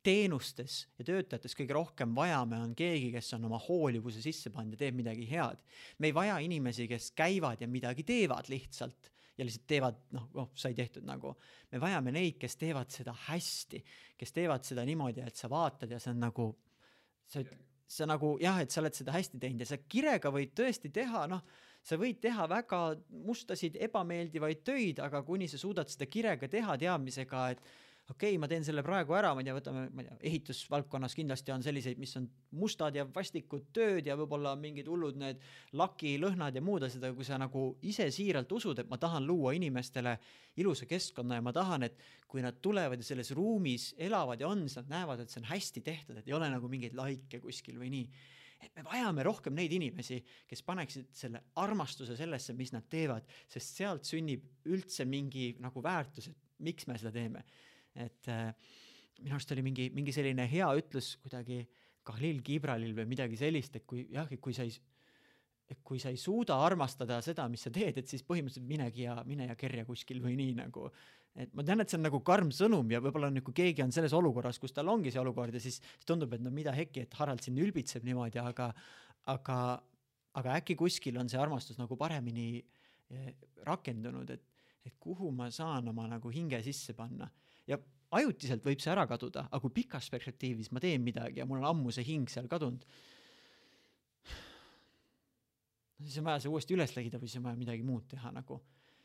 teenustes ja töötajates kõige rohkem vajame on keegi, kes on oma hoolivuse sisse pannud ja teeb midagi head. Me ei vaja inimesi, kes käivad ja midagi teevad lihtsalt ja lihtsalt teevad, noh, oh, sai tehtud nagu. Me vajame neid, kes teevad seda hästi, kes teevad seda niimoodi, et sa vaatad ja see on nagu, sa, sa nagu, jah, et sa oled seda hästi teinud ja sa kirega võid tõesti teha, noh, sa võid teha väga mustasid, ebameeldivaid töid, aga kuni sa suudad seda kirega teha teadmisega, et okei, okay, ma teen selle praegu ära, ma ei tea, võtame, ma ei tea, ehitusvaldkonnas kindlasti on selliseid, mis on mustad ja vastikud tööd ja võib-olla mingid hullud need laki, lõhnad ja muud asjad, aga kui sa nagu ise siiralt usud, et ma tahan luua inimestele ilusa keskkonna ja ma tahan, et kui nad tulevad ja selles ruumis elavad ja on, siis nad näevad, et see on hästi tehtud, et ei ole nagu mingeid laike kuskil või nii. Et me vajame rohkem neid inimesi, kes paneksid selle armastuse sellesse, mis nad teevad, sest sealt sünnib üldse mingi nagu väärtus, et miks me seda teeme. Et äh, minu arust oli mingi, mingi selline hea ütlus kuidagi Khalil Gibralil või midagi sellist, et kui, jah, kui sa ei, et kui sa ei suuda armastada seda, mis sa teed, et siis põhimõtteliselt minegi ja mine ja kerja kuskil või nii nagu, et ma tean, et see on nagu karm sõnum ja võib-olla on, kui keegi on selles olukorras, kus tal ongi see olukord ja siis, siis tundub, et no mida hekki, et Harald siin ülbitseb niimoodi, aga, aga, aga äkki kuskil on see armastus nagu paremini rakendunud, et, et kuhu ma saan oma nagu hinge sisse panna ja ajutiselt võib see ära kaduda, aga kui pikas perspektiivis ma teen midagi ja mul on ammu see hing seal kadunud, siis on vaja see uuesti üles leida või siis on vaja midagi muud teha nagu.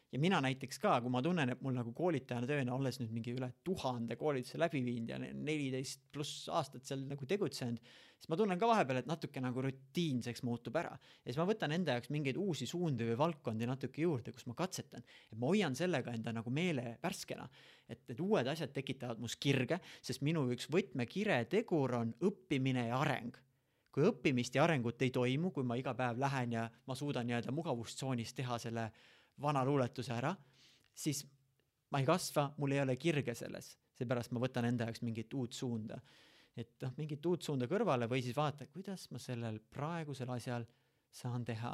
Ja mina näiteks ka, kui ma tunnen, et mul nagu koolitajana tööna olles nüüd mingi üle tuhande koolituse läbi viinud ja neliteist pluss aastat seal nagu tegutsenud, siis ma tunnen ka vahepeal, et natuke nagu rutiinseks muutub ära. Ja siis ma võtan enda jaoks mingeid uusi suundi või valdkondi natuke juurde, kus ma katsetan. Et ma hoian sellega enda nagu meele värskena. Et, et uued asjad tekitavad mus kirge, sest minu üks võtmekire tegur on õppimine ja areng. Kui õppimist ja arengut ei toimu, kui ma iga päev lähen ja ma suudan jääda mugavustsoonis teha selle vana luuletuse ära, siis ma ei kasva, mul ei ole kirge selles. Seepärast ma võtan enda jaoks mingit uut suunda. Et noh, mingit uut suunda kõrvale või siis vaata, kuidas ma sellel praegusel asjal saan teha.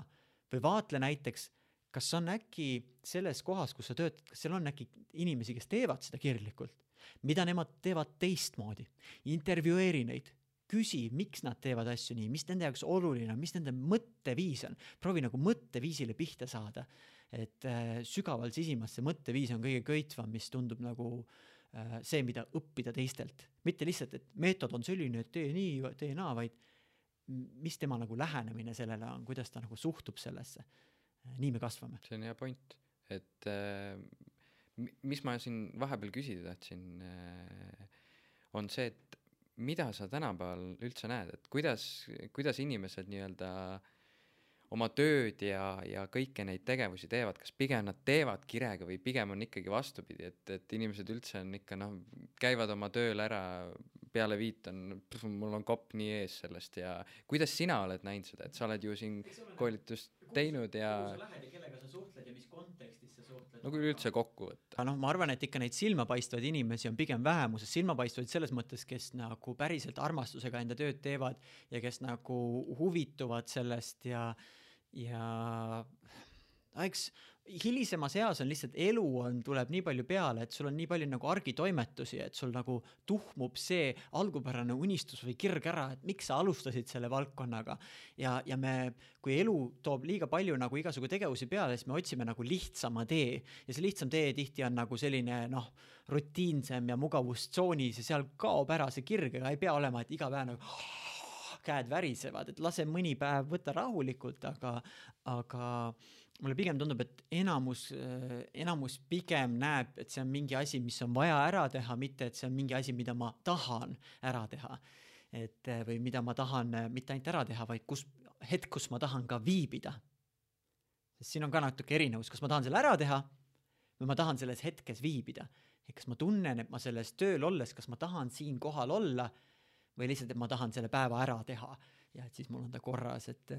Või vaatle näiteks, kas on äkki selles kohas, kus sa töötad, kas seal on äkki inimesi, kes teevad seda kirglikult. Mida nemad teevad teistmoodi. Intervjueeri neid. Küsi, miks nad teevad asju nii, mis nende jaoks oluline, mis nende mõtteviis on. Proovi nagu mõtteviisile pihta saada. Et äh, sügaval sisimas see mõtteviis on kõige köitvam, mis tundub nagu äh, see, mida õppida teistelt. Mitte lihtsalt, et meetod on selline, et tee nii, tee naa, vaid mis tema nagu lähenemine sellele on, kuidas ta nagu suhtub sellesse. Nii me kasvame. See on hea point. Et äh, mis ma siin vahepeal küsida tahtsin, äh, on see, et mida sa tänapäeval üldse näed, et kuidas, kuidas inimesed nii-öelda oma tööd ja, ja kõike neid tegevusi teevad, kas pigem nad teevad kirega või pigem on ikkagi vastupidi, et, et inimesed üldse on ikka, noh, käivad oma tööl ära, peale viit on, mul on kopp nii ees sellest ja kuidas sina oled näinud seda, et sa oled ju siin koolitust teinud ja kuhu sa lähed ja kellega sa suhtled ja mis kontekstis sa suhtled. No kui üldse kokku võtta. No, ma arvan, et ikka neid silmapaistvaid inimesi on pigem vähemuses, silmapaistvaid selles mõttes, kes nagu päriselt armastusega enda tööd teevad ja kes nagu huvituvad sellest ja, ja eks hilisemas eas on lihtsalt elu on, tuleb nii palju peale, et sul on nii palju nagu argitoimetusi, et sul nagu tuhmub see algupärane unistus või kirg ära, et miks sa alustasid selle valdkonnaga. Ja, ja me, kui elu toob liiga palju nagu igasugu tegevusi peale, siis me otsime nagu lihtsama tee. Ja see lihtsam tee tihti on nagu selline noh, rutiinsem ja mugavustsoonis ja seal kaob ära see kirg, aga ei pea olema, et iga päev nagu käed värisevad, et lase mõni päev võtta rahulikult, aga, aga mulle pigem tundub, et enamus, enamus pigem näeb, et see on mingi asi, mis on vaja ära teha, mitte et see on mingi asi, mida ma tahan ära teha. Et, või mida ma tahan mitte ainult ära teha, vaid kus, hetk, kus ma tahan ka viibida. Sest siin on ka natuke erinevus, kas ma tahan selle ära teha või ma tahan selles hetkes viibida. Et kas ma tunnen, et ma selles tööl olles, kas ma tahan siin kohal olla või lihtsalt, et ma tahan selle päeva ära teha ja et siis mul on ta korras, et,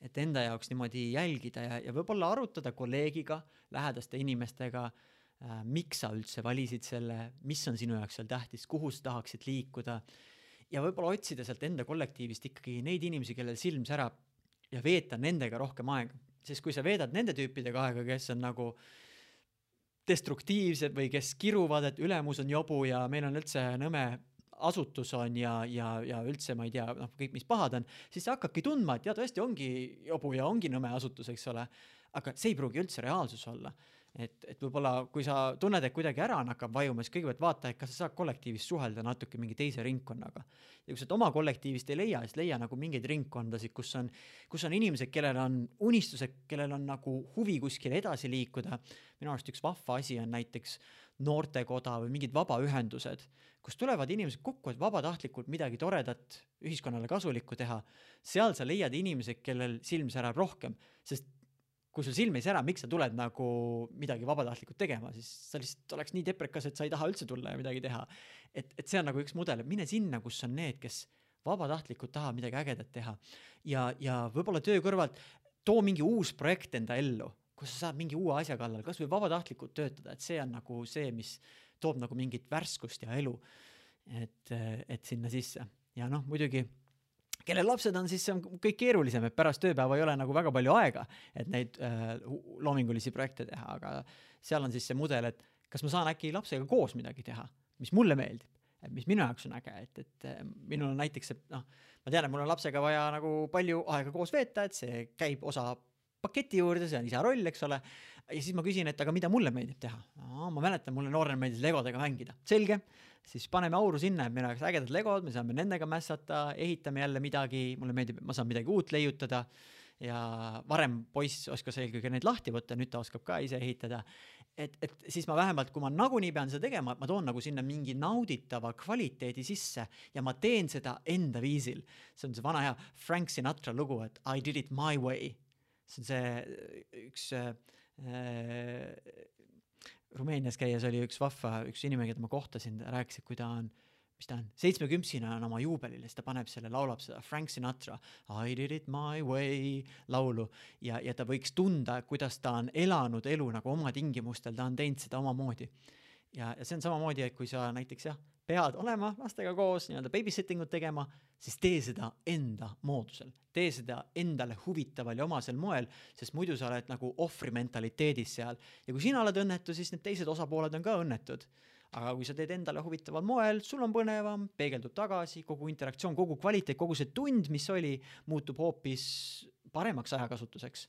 et enda jaoks niimoodi jälgida ja, ja võib-olla arutada kolleegiga, lähedaste inimestega, äh, miks sa üldse valisid selle, mis on sinu jaoks seal tähtis, kuhu sa tahaksid liikuda ja võib-olla otsida sealt enda kollektiivist ikkagi neid inimesi, kellel silm särab ja veeta nendega rohkem aega. Sest kui sa veedad nende tüüpidega aega, kes on nagu destruktiivsed või kes kiruvad, et ülemus on jobu ja meil on üldse nõme asutus on ja, ja, ja üldse ma ei tea, noh, kõik mis pahad on, siis sa hakkadki tundma, et ja tõesti ongi jobu ja ongi nõme asutus, eks ole, aga see ei pruugi üldse reaalsus olla. Et, et võib-olla kui sa tunned, et kuidagi ära on hakkab vajuma, siis kõigepealt vaata, et kas sa saad kollektiivist suhelda natuke mingi teise ringkonnaga. Ja kui sa oma kollektiivist ei leia, siis leia nagu mingeid ringkondasid, kus on, kus on inimesed, kellel on unistused, kellel on nagu huvi kuskil edasi liikuda. Minu arust üks vahva asi on näiteks noortekoda või mingid vabaühendused, kus tulevad inimesed kokku, et vabatahtlikult midagi toredat ühiskonnale kasulikku teha. Seal sa leiad inimesed, kellel silm särab rohkem, sest kui sul silm ei sära, miks sa tuled nagu midagi vabatahtlikult tegema, siis sa lihtsalt oleks nii deprekas, et sa ei taha üldse tulla ja midagi teha. Et, et see on nagu üks mudel, mine sinna, kus on need, kes vabatahtlikult taha midagi ägedat teha. Ja, ja võib-olla töö kõrvalt too mingi uus projekt enda ellu, kus sa saad mingi uue asja kallal, kas või vabatahtlikult töötada, et see on nagu see, mis toob nagu mingit värskust ja elu, et, et sinna sisse. Ja noh, muidugi kellel lapsed on, siis see on kõik keerulisem, et pärast tööpäeva ei ole nagu väga palju aega, et neid äh, loomingulisi projekte teha, aga seal on siis see mudel, et kas ma saan äkki lapsega koos midagi teha, mis mulle meeldib, et mis minu jaoks on äge, et, et minul on näiteks, et noh, ma tean, et mul on lapsega vaja nagu palju aega koos veeta, et see käib osa paketi juurde, see on isa roll, eks ole, ja siis ma küsin, et aga mida mulle meeldib teha? Aa, ma mäletan, mulle noorena meeldis legodega mängida. Selge, siis paneme auru sinna, et meil oleks ägedad legod, me saame nendega mässata, ehitame jälle midagi, mulle meeldib, ma saan midagi uut leiutada ja varem poiss oskas eelkõige neid lahti võtta, nüüd ta oskab ka ise ehitada. Et, et siis ma vähemalt, kui ma nagunii pean seda tegema, ma toon nagu sinna mingi nauditava kvaliteedi sisse ja ma teen seda enda viisil. See on see vana hea Frank Sinatra lugu, et I did it my way. See on see üks äh, Rumeenias käies oli üks vahva, üks inimene, keda ma kohtasin, rääkis, et kui ta on, mis ta on, seitsmekümsina on oma juubelil, siis ta paneb selle, laulab seda Frank Sinatra I did it my way laulu ja, ja ta võiks tunda, kuidas ta on elanud elu nagu oma tingimustel, ta on teinud seda omamoodi. Ja, ja see on samamoodi, et kui sa näiteks jah, pead olema lastega koos, nii-öelda babysittingut tegema, siis tee seda enda moodusel. Tee seda endale huvitaval ja omasel moel, sest muidu sa oled nagu ohvri mentaliteedis seal. Ja kui sina oled õnnetu, siis need teised osapooled on ka õnnetud. Aga kui sa teed endale huvitaval moel, sul on põnevam, peegeldub tagasi, kogu interaktsioon, kogu kvaliteet, kogu see tund, mis oli, muutub hoopis paremaks ajakasutuseks.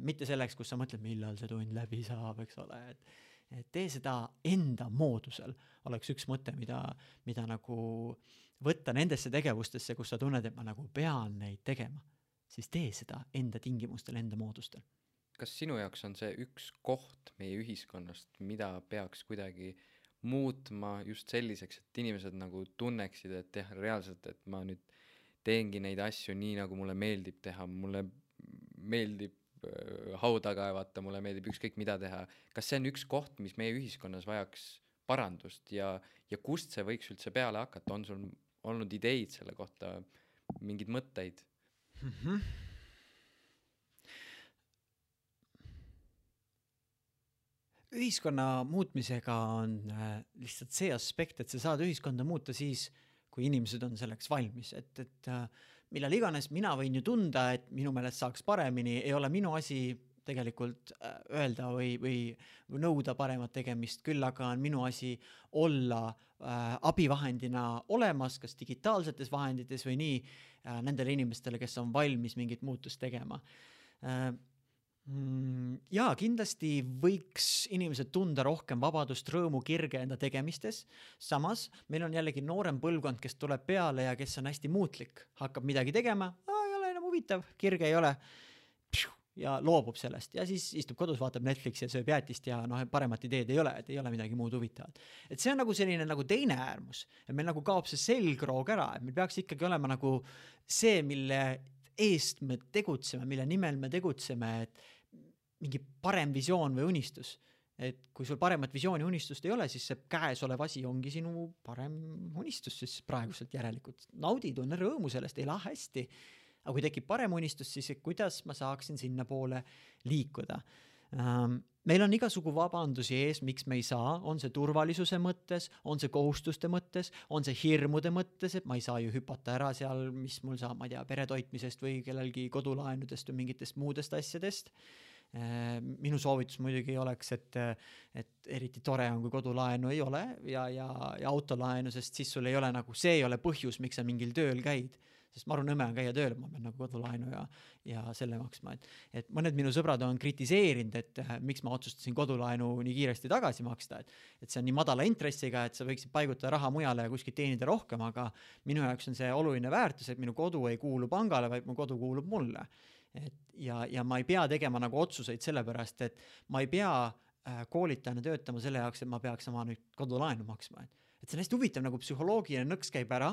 Mitte selleks, kus sa mõtled, millal see tund läbi saab, eks ole, et et tee seda enda moodusel, oleks üks mõte, mida, mida nagu võtta nendesse tegevustesse, kus sa tunned, et ma nagu pean neid tegema, siis tee seda enda tingimustel, enda moodustel. Kas sinu jaoks on see üks koht meie ühiskonnast, mida peaks kuidagi muutma just selliseks, et inimesed nagu tunneksid, et jah, reaalselt, et ma nüüd teengi neid asju nii, nagu mulle meeldib teha, mulle meeldib hauda kaevata, mulle meeldib ükskõik mida teha. Kas see on üks koht, mis meie ühiskonnas vajaks parandust ja, ja kust see võiks üldse peale hakata? On sul olnud ideid selle kohta, mingid mõtteid? Mm-hmm. Ühiskonna muutmisega on lihtsalt see aspekt, et sa saad ühiskonda muuta siis, kui inimesed on selleks valmis, et, et millal iganes mina võin ju tunda, et minu meelest saaks paremini, ei ole minu asi tegelikult öelda või, või nõuda paremat tegemist, küll aga on minu asi olla äh, abivahendina olemas, kas digitaalsetes vahendites või nii äh, nendele inimestele, kes on valmis mingit muutust tegema. Äh, ja kindlasti võiks inimesed tunda rohkem vabadust, rõõmu, kirge enda tegemistes. Samas meil on jällegi noorem põlvkond, kes tuleb peale ja kes on hästi muutlik, hakkab midagi tegema, ei ole enam huvitav, kirge ei ole ja loobub sellest ja siis istub kodus, vaatab Netflixi ja sööb jäätist ja noh, paremat ideed ei ole, et ei ole midagi muud huvitavat. Et see on nagu selline nagu teine äärmus, et meil nagu kaob see selgroog ära, et meil peaks ikkagi olema nagu see, mille eest me tegutseme, mille nimel me tegutseme, et mingi parem visioon või unistus. Et kui sul paremat visiooni unistust ei ole, siis see käesolev asi ongi sinu parem unistus, siis praeguselt järelikult. Naudi, tunne rõõmu sellest, ei lähe hästi. Aga kui tekib parem unistus, siis kuidas ma saaksin sinna poole liikuda? Meil on igasugu vabandusi ees, miks me ei saa, on see turvalisuse mõttes, on see kohustuste mõttes, on see hirmude mõttes, et ma ei saa ju hüpata ära seal, mis mul saab, ma ei tea, peretoitmisest või kellelgi kodulaenudest või mingitest muudest asjadest. Minu soovitus muidugi oleks, et, et eriti tore on, kui kodulaenu ei ole ja, ja, ja autolaenu, sest siis sul ei ole nagu, see ei ole põhjus, miks sa mingil tööl käid. Sest maru nõme on käia tööl, ma pean nagu kodulaenu ja, ja selle maksma. Et, et mõned minu sõbrad on kritiseerinud, et miks ma otsustasin kodulaenu nii kiiresti tagasi maksta. Et, et see on nii madala intressiga, et sa võiksid paigutada raha mujale ja kuskilt teenida rohkem, aga minu jaoks on see oluline väärtus, et minu kodu ei kuulu pangale, vaid mu kodu kuulub mulle. Et, ja, ja ma ei pea tegema nagu otsuseid sellepärast, et ma ei pea äh, koolitajana töötama selle jaoks, et ma peaks oma nüüd kodulaenu maksma. Et, et see on hästi huvitav, nagu psühholoogiline nõks käib ära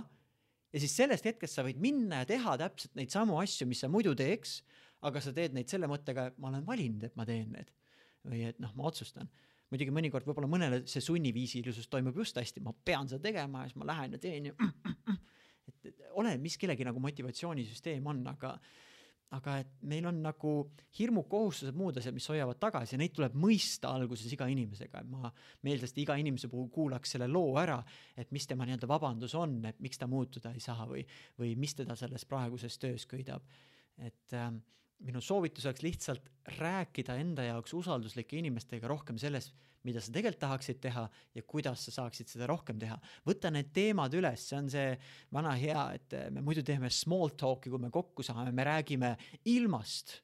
ja siis sellest hetkest sa võid minna ja teha täpselt neid samu asju, mis sa muidu teeks, aga sa teed neid selle mõttega, et ma olen valinud, et ma teen need. Või et noh, ma otsustan. Muidugi mõnikord võib-olla mõnele see sunniviisilisus toimub just hästi, ma pean seda tegema ja siis ma lähen ja teen ja et, et ole, mis kellegi nagu motivatsioonisüsteem on, aga aga et meil on nagu hirmu kohustused muud asjad, mis hoiavad tagasi ja neid tuleb mõista alguses iga inimesega. Ma meeldest iga inimese puhul kuulaks selle loo ära, et mis tema nii-öelda vabandus on, et miks ta muutuda ei saa või, või mis teda selles praeguses töös köidab. Et äh, minu soovitus oleks lihtsalt rääkida enda jaoks usalduslike inimestega rohkem sellest, mida sa tegelikult tahaksid teha ja kuidas sa saaksid seda rohkem teha. Võta need teemad üles, see on see vana hea, et me muidu teeme small talk'i, kui me kokku saame, me räägime ilmast.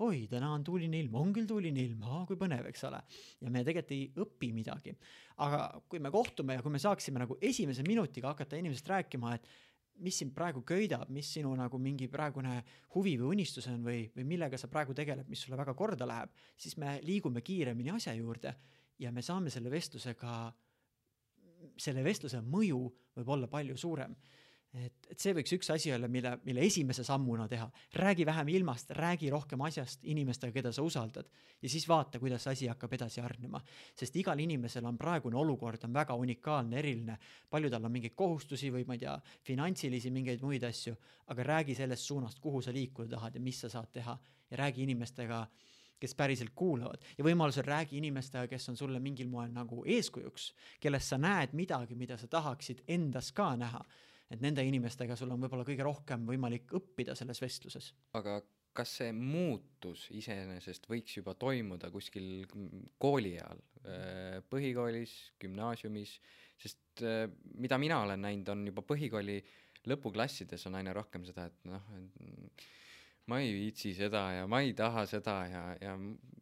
Oi, täna on tuuline ilm, on küll tuuline ilm, aa, kui põnev, eks ole. Ja me tegelikult ei õpi midagi. Aga kui me kohtume ja kui me saaksime nagu esimese minutiga hakata inimesest rääkima, et mis sind praegu köidab, mis sinu nagu mingi praegune huvi või unistus on või, või millega sa praegu tegeleb, mis sulle väga korda läheb, siis me liigume kiiremini asja juurde ja me saame selle vestlusega, selle vestluse mõju võib olla palju suurem. Et, et see võiks üks asi olla, mille, mille esimese sammuna teha. Räägi vähem ilmast, räägi rohkem asjast inimestega, keda sa usaldad ja siis vaata, kuidas asi hakkab edasi arnema. Sest igal inimesel on praegune olukord, on väga unikaalne, eriline. Palju tal on mingeid kohustusi või ma ei tea, finantsilisi mingeid muid asju, aga räägi sellest suunast, kuhu sa liikuda tahad ja mis sa saad teha ja räägi inimestega, kes päriselt kuulavad ja võimalusel räägi inimestega, kes on sulle mingil moel nagu eeskujuks, kellest sa näed midagi, mida sa tahaksid endas ka näha. Et nende inimestega sul on võib-olla kõige rohkem võimalik õppida selles vestluses. Aga kas see muutus iseenesest võiks juba toimuda kuskil kooli ajal, põhikoolis, gümnaasiumis, sest mida mina olen näinud, on juba põhikooli lõpuklassides on aina rohkem seda, et noh, ma ei viitsi seda ja ma ei taha seda ja, ja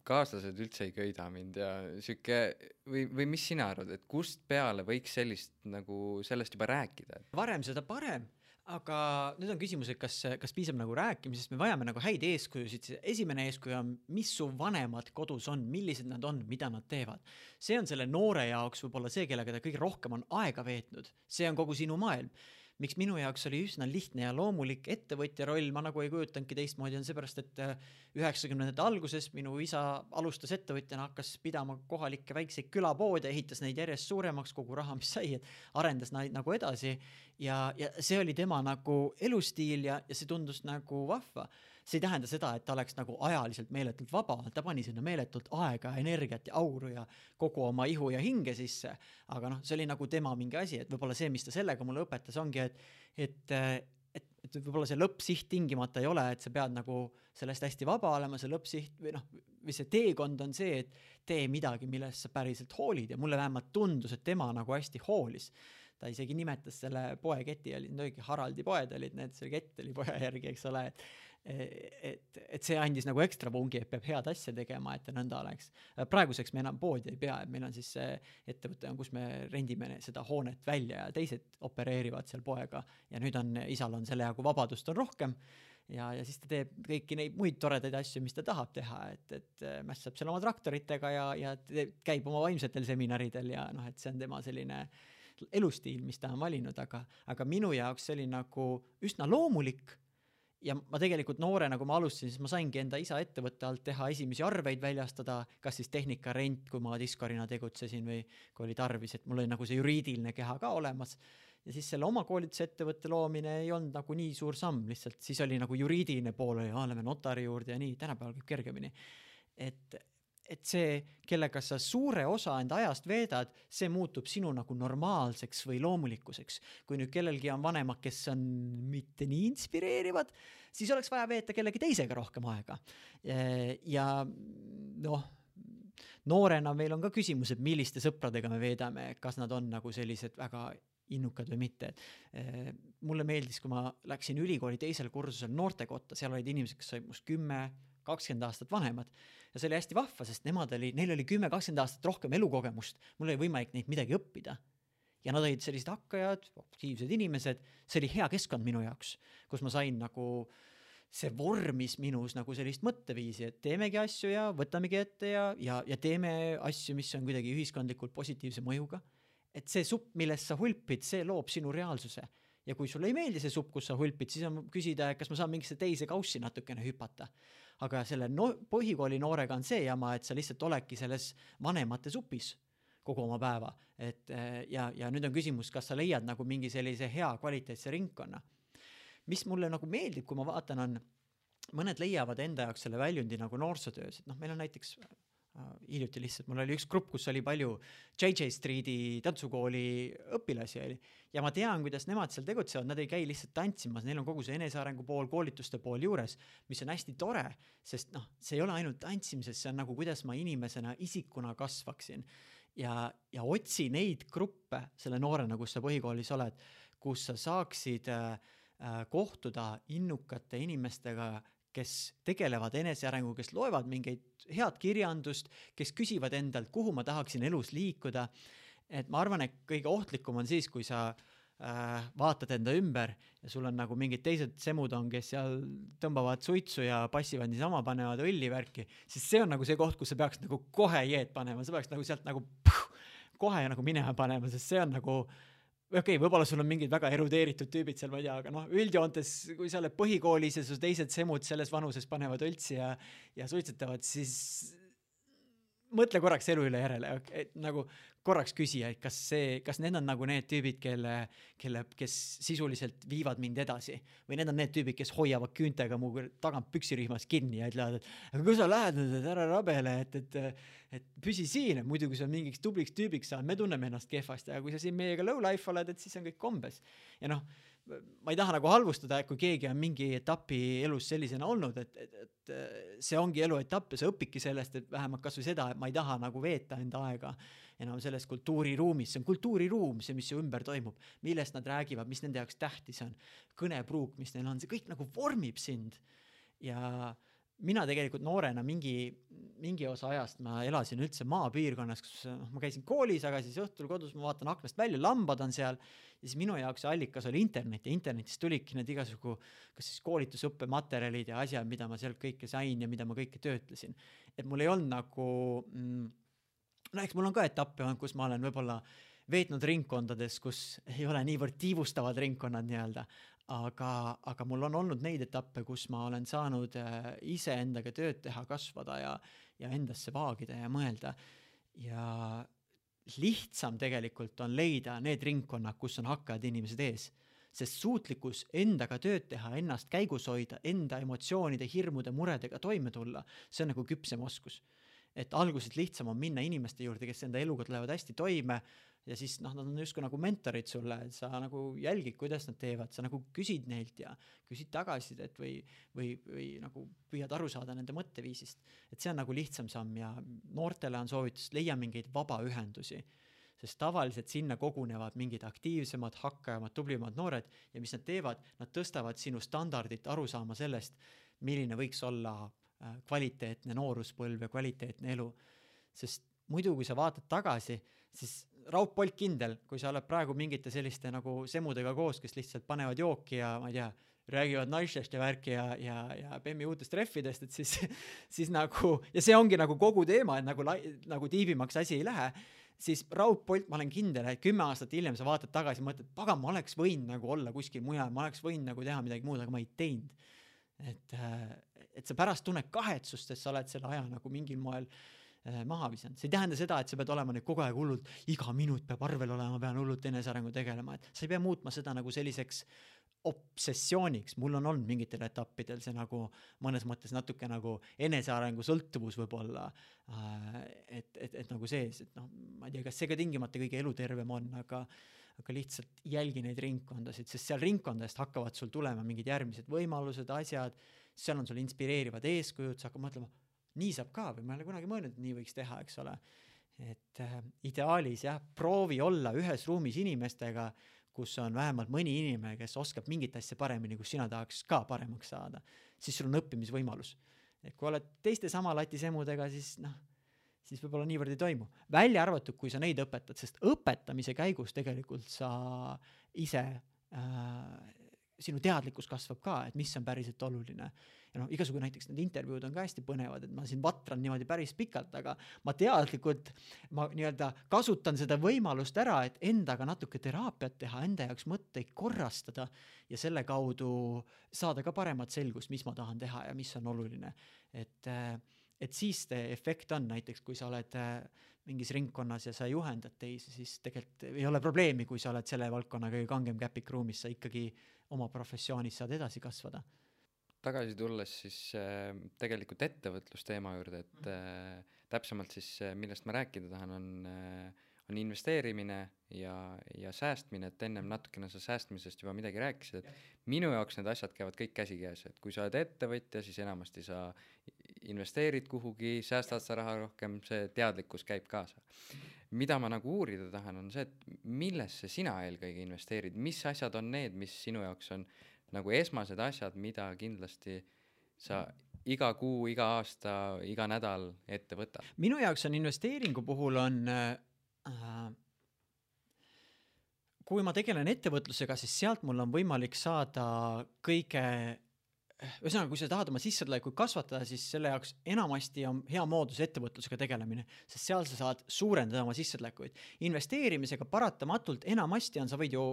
kaaslased üldse ei köida mind ja süke, või, või mis sina arvad, et kust peale võiks sellist nagu sellest juba rääkida? Varem seda parem, aga nüüd on küsimus, et kas, kas piisab nagu rääkimisest, me vajame nagu häid eeskujusid. Esimene eeskuju on, mis su vanemad kodus on, millised nad on, mida nad teevad. See on selle noore jaoks võib-olla see, kellega ta kõige rohkem on aega veetnud. See on kogu sinu maailm. Miks minu jaoks oli üsna lihtne ja loomulik ettevõtja roll, ma nagu ei kujutanudki teistmoodi, on seepärast, et üheksakümnendate alguses minu isa alustas ettevõtjana, hakkas pidama kohalikke väikseid külapoode, ehitas neid järjest suuremaks, kogu raha, mis sai, et arendas neid nagu edasi ja, ja see oli tema nagu elustiil ja, ja see tundus nagu vahva. See ei tähenda seda, et ta oleks nagu ajaliselt meeletult vaba, ta pani sinna meeletult aega, energiat ja auru ja kogu oma ihu ja hinge sisse, aga noh, see oli nagu tema mingi asi, et võib-olla see, mis ta sellega mulle õpetas, ongi, et, et, et, et võib-olla see lõppsiht tingimata ei ole, et sa pead nagu sellest hästi vaba olema, see lõppsiht või noh, või see teekond on see, et tee midagi, millest sa päriselt hoolid ja mulle vähemalt tundus, et tema nagu hästi hoolis. Ta isegi nimetas selle poeketi, oli õige Haraldi poed olid need, see kett oli poja järgi, eks ole, et et, et see andis nagu ekstra pungi, et peab head asja tegema, et ta nõnda oleks. Praeguseks me enam poodi ei pea, et meil on siis see ettevõte, kus me rendime seda hoonet välja ja teised opereerivad seal poega ja nüüd on, isal on selle jagu vabadust on rohkem ja, ja siis ta teeb kõiki neid muid toredaid asju, mis ta tahab teha, et, et mässab seal oma traktoritega ja, ja käib oma vaimsetel seminaridel ja noh, et see on tema selline elustiil, mis ta on valinud, aga, aga minu jaoks see oli nagu üsna loomulik. Ja ma tegelikult noore, nagu ma alustasin, siis ma saingi enda isa ettevõtte alt teha esimesi arveid väljastada, kas siis tehnika rent, kui ma diskorina tegutsesin või kui oli tarvis, et mul oli nagu see juriidiline keha ka olemas. Ja siis selle oma koolituse ettevõtte loomine ei olnud nagu nii suur samm, lihtsalt siis oli nagu juriidiline pool, oli, oleme notari juurde ja nii, tänapäeval käib kergemini. Et, et see, kellega sa suure osa enda ajast veedad, see muutub sinu nagu normaalseks või loomulikkuseks. Kui nüüd kellelgi on vanemad, kes on mitte nii inspireerivad, siis oleks vaja veeta kellegi teisega rohkem aega. Ja noh, noorena meil on ka küsimus, et milliste sõpradega me veedame, kas nad on nagu sellised väga innukad või mitte. Mulle meeldis, kui ma läksin ülikooli teisel kursusel noortekotta, seal olid inimesed, kes said must kümme, kakskümmend aastat vanemad ja see oli hästi vahva, sest nemad oli, neil oli kümme kakskümmend aastat rohkem elukogemust, mul oli võimalik neid midagi õppida ja nad olid sellised hakkajad, aktiivsed inimesed, see oli hea keskkond minu jaoks, kus ma sain nagu see vormis minus nagu sellist mõtteviisi, et teemegi asju ja võtamegi ette ja, ja, ja teeme asju, mis on kuidagi ühiskondlikult positiivse mõjuga, et see supp, millest sa hulpid, see loob sinu reaalsuse ja kui sulle ei meeldi see supp, kus sa hulpid, siis on küsida, kas ma saan mingisse teise kaussi natukene hüpata. Aga selle no, põhikooli noorega on see jama, et sa lihtsalt oledki selles vanemate supis kogu oma päeva. Et, ja, ja nüüd on küsimus, kas sa leiad nagu mingi sellise hea kvaliteetse ringkonna. Mis mulle nagu meeldib, kui ma vaatan, on mõned leiavad enda jaoks selle väljundi nagu noorsootöös, et noh, meil on näiteks äh, hiljuti lihtsalt, mul oli üks grupp, kus oli palju J J Streeti tantsukooli õpilasi oli ja ma tean, kuidas nemad seal tegutsevad, nad ei käi lihtsalt tantsimas, neil on kogu see enesearengu pool, koolituste pool juures, mis on hästi tore, sest noh, see ei ole ainult tantsimises, see on nagu kuidas ma inimesena, isikuna kasvaksin ja, ja otsi neid gruppe selle noorena, kus sa põhikoolis oled, kus sa saaksid äh, kohtuda innukate inimestega, kes tegelevad enesearengu, kes loevad mingeid head kirjandust, kes küsivad endalt, kuhu ma tahaksin elus liikuda. Et ma arvan, et kõige ohtlikum on siis, kui sa äh, vaatad enda ümber ja sul on nagu mingid teised semud on, kes seal tõmbavad suitsu ja passivad niisama, panevad õlli värki, siis see on nagu see koht, kus sa peaks nagu kohe jeed panema, sa peaks nagu sealt nagu puh, kohe nagu minema panema, sest see on nagu okei, okay, võib-olla sul on mingid väga erudeeritud tüübid seal, ma ei tea, aga noh, üldjoontes, kui sa oled põhikoolis ja su teised semud selles vanuses panevad õltsi ja, ja suitsetavad, siis mõtle korraks elu üle järele, et nagu korraks küsija, et kas see, kas need on nagu need tüübid, kelle, kelle, kes sisuliselt viivad mind edasi või need on need tüübid, kes hoiavad küüntega mu tagant püksirihmas kinni ja ütlevad, et aga kui sa lähed nüüd, et ära rabele, et, et, et püsi siin, et muidu kui sa mingiks tubliks tüübiks saad, me tunneme ennast kehvasti, aga kui sa siin meiega low life oled, et siis on kõik kombes. Ja noh, ma ei taha nagu halvustada, kui keegi on mingi etapi elus sellisena olnud, et, et, et see ongi elu etapp ja sa õpidki sellest, et vähemalt kas või seda, et ma ei taha nagu veeta enda aega enam selles kultuuriruumis, see on kultuuriruum, see, mis su ümber toimub, millest nad räägivad, mis nende jaoks tähtis on, kõnepruuk, mis neil on, see kõik nagu vormib sind ja mina tegelikult noorena mingi, mingi osa ajast ma elasin üldse maapiirkonnas, kus no, ma käisin koolis, aga siis õhtul kodus ma vaatan aknast välja, lambad on seal ja siis minu jaoks allikas oli internet ja internetis tulidki need igasugu kas siis koolitusõppematerjalid ja asjad, mida ma sealt kõike sain ja mida ma kõike töötlesin. Et mul ei olnud nagu mm, no eks mul on ka etappe, kus ma olen võib-olla veetnud ringkondades, kus ei ole niivõrd tiivustavad ringkonnad nii-öelda, aga, aga mul on olnud neid etappe, kus ma olen saanud ise endaga tööd teha, kasvada ja, ja endasse vaagida ja mõelda. Ja lihtsam tegelikult on leida need ringkonnad, kus on hakkajad inimesed ees. Sest suutlikkus endaga tööd teha, ennast käigus hoida, enda emotsioonide, hirmude, muredega toime tulla, see on nagu küpsem oskus. Et alguses lihtsam on minna inimeste juurde, kes enda eluga tulevad hästi toime ja siis noh, nad on justkui nagu mentorid sulle, et sa nagu jälgid, kuidas nad teevad, sa nagu küsid neilt ja küsid tagasidet või, või, või nagu püüad aru saada nende mõtteviisist. Et see on nagu lihtsam samm ja noortele on soovitus leia mingeid vabaühendusi, sest tavaliselt sinna kogunevad mingid aktiivsemad, hakkajamad, tublimad noored ja mis nad teevad, nad tõstavad sinu standardit aru saama sellest, milline võiks olla kvaliteetne nooruspõlv ja kvaliteetne elu. Sest muidu, kui sa vaatad tagasi, siis Raud Polt kindel, kui sa oled praegu mingite selliste nagu semudega koos, kes lihtsalt panevad jooki ja ma ei tea, räägivad naistest ja värki ja, ja, ja Bemmi uutest treffidest, et siis, siis nagu, ja see ongi nagu kogu teema, et nagu, nagu tiibimaks asi ei lähe, siis Raud Polt, ma olen kindel, et kümme aastat hiljem sa vaatad tagasi, mõtled, pagan, ma oleks võinud nagu olla kuskil mujal, ma oleks võinud nagu teha midagi muud, aga ma ei teinud. Et, et sa pärast tunned kahetsust, et sa oled selle aja nagu mingil moel maha visanud. See ei tähenda seda, et sa pead olema nüüd kogu aeg hullult, iga minut peab arvel olema, pean hullult enesearengu tegelema, et sa ei pea muutma seda nagu selliseks obsessiooniks. Mul on olnud mingitel etappidel see nagu mõnes mõttes natuke nagu enesearengu sõltuvus võib-olla, et, et, et nagu sees, et noh, ma ei tea, kas see ka tingimata kõige elutervem on, aga aga lihtsalt jälgi neid ringkondasid, sest seal ringkondadest hakkavad sul tulema mingid järgmised võimalused, asjad, seal on sul inspireerivad eeskujud, sa hakkad mõtlema, nii saab ka või ma ei ole kunagi mõelnud, et nii võiks teha, eks ole. Et äh, ideaalis jah, proovi olla ühes ruumis inimestega, kus on vähemalt mõni inimene, kes oskab mingit asja paremini, kus sina tahaks ka paremaks saada, siis sul on õppimisvõimalus. Et kui oled teiste sama latisemudega, siis noh, siis võib-olla niivõrd ei toimu. Välja arvatud, kui sa neid õpetad, sest õpetamise käigus tegelikult sa ise, äh, sinu teadlikkus kasvab ka, et mis on päriselt oluline. Ja noh, igasugu näiteks need intervjuud on ka hästi põnevad, et ma siin vatran niimoodi päris pikalt, aga ma teadlikult, ma nii-öelda kasutan seda võimalust ära, et endaga natuke teraapiat teha, enda jaoks mõtteid korrastada ja selle kaudu saada ka paremat selgust, mis ma tahan teha ja mis on oluline. Et äh, et siis see efekt on näiteks, kui sa oled mingis ringkonnas ja sa juhendad teisi, siis tegelikult ei ole probleemi, kui sa oled selle valdkonna kõige kangem käpik ruumis, sa ikkagi oma professioonis saad edasi kasvada. tagasi tulles siis äh, tegelikult ettevõtlusteema juurde, et äh, täpsemalt siis äh, millest ma rääkida tahan, on äh, on investeerimine ja, ja säästmine, et ennem natukene sa säästmisest juba midagi rääkisid, et minu jaoks need asjad käivad kõik käsikäes, et kui sa oled ettevõtja, siis enamasti sa investeerid kuhugi, säästad sa raha rohkem, see teadlikkus käib kaasa. Mida ma nagu uurida tahan, on see, et millesse sina eelkõige investeerid, mis asjad on need, mis sinu jaoks on nagu esmased asjad, mida kindlasti sa iga kuu, iga aasta, iga nädal ette võtad? Minu jaoks on investeeringu puhul on äh, kui ma tegelen ettevõtlusega, siis sealt mul on võimalik saada kõige, ühesõnaga, kui sa tahad oma sissetulekuid kasvatada, siis selle jaoks enamasti on hea moodus ettevõtlusega tegelemine, sest seal sa saad suurendada oma sissetulekuid. Investeerimisega paratamatult enamasti on, sa võid ju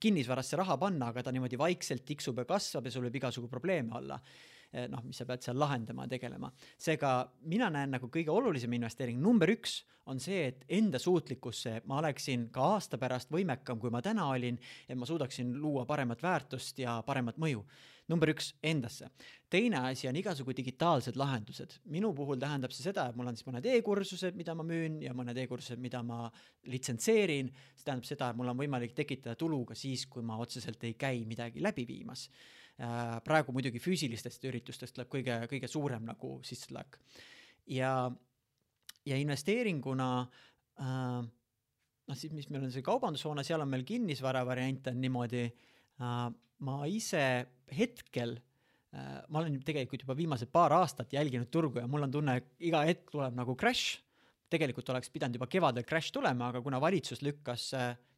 kinnisvarasse raha panna, aga ta niimoodi vaikselt tiksub ja kasvab ja sul võib igasugu probleeme olla. Noh, mis sa pead seal lahendama ja tegelema. Seega mina näen nagu kõige olulisem investeering. Number üks on see, et enda suutlikkusse ma oleksin ka aasta pärast võimekam, kui ma täna olin, et ma suudaksin luua paremat väärtust ja paremat mõju. Number üks endasse. Teine asi on igasugu digitaalsed lahendused. Minu puhul tähendab see seda, et mul on siis mõned e-kursused, mida ma müün ja mõned e-kursused, mida ma litsentseerin. See tähendab seda, et mul on võimalik tekitada tulu ka siis, kui ma otseselt ei käi midagi läbi viimas. Praegu muidugi füüsilistest üritustest tuleb kõige, kõige suurem nagu sissetulek. Ja, ja investeeringuna, äh, noh siis, mis meil on see kaubandushoone, seal on meil kinnisvara variant on niimoodi, äh, ma ise hetkel, äh, ma olen tegelikult juba viimased paar aastat jälginud turgu ja mul on tunne, iga hetk tuleb nagu crash. Tegelikult oleks pidanud juba kevadel crash tulema, aga kuna valitsus lükkas,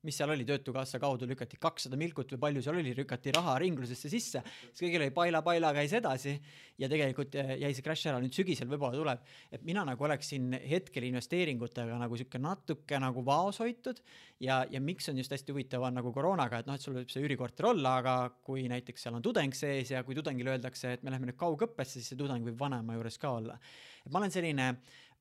mis seal oli, Töötukassa kaudu lükati kakssada milkut või palju seal oli, lükati raha ringlusesse sisse, siis kõigil oli paila, paila käis edasi ja tegelikult jäi see crash ära, nüüd sügisel võib-olla tuleb. Et mina nagu oleksin hetkel investeeringutega nagu siuke natuke nagu vaos hoitud ja, ja miks on just hästi huvitav on nagu koroonaga, et noh, et sul võib see üürikorter olla, aga kui näiteks seal on tudeng sees ja kui tudengile öeldakse, et me läheme nüüd kaugõppesse, siis see tudeng võib vanema juures ka olla. Et ma olen selline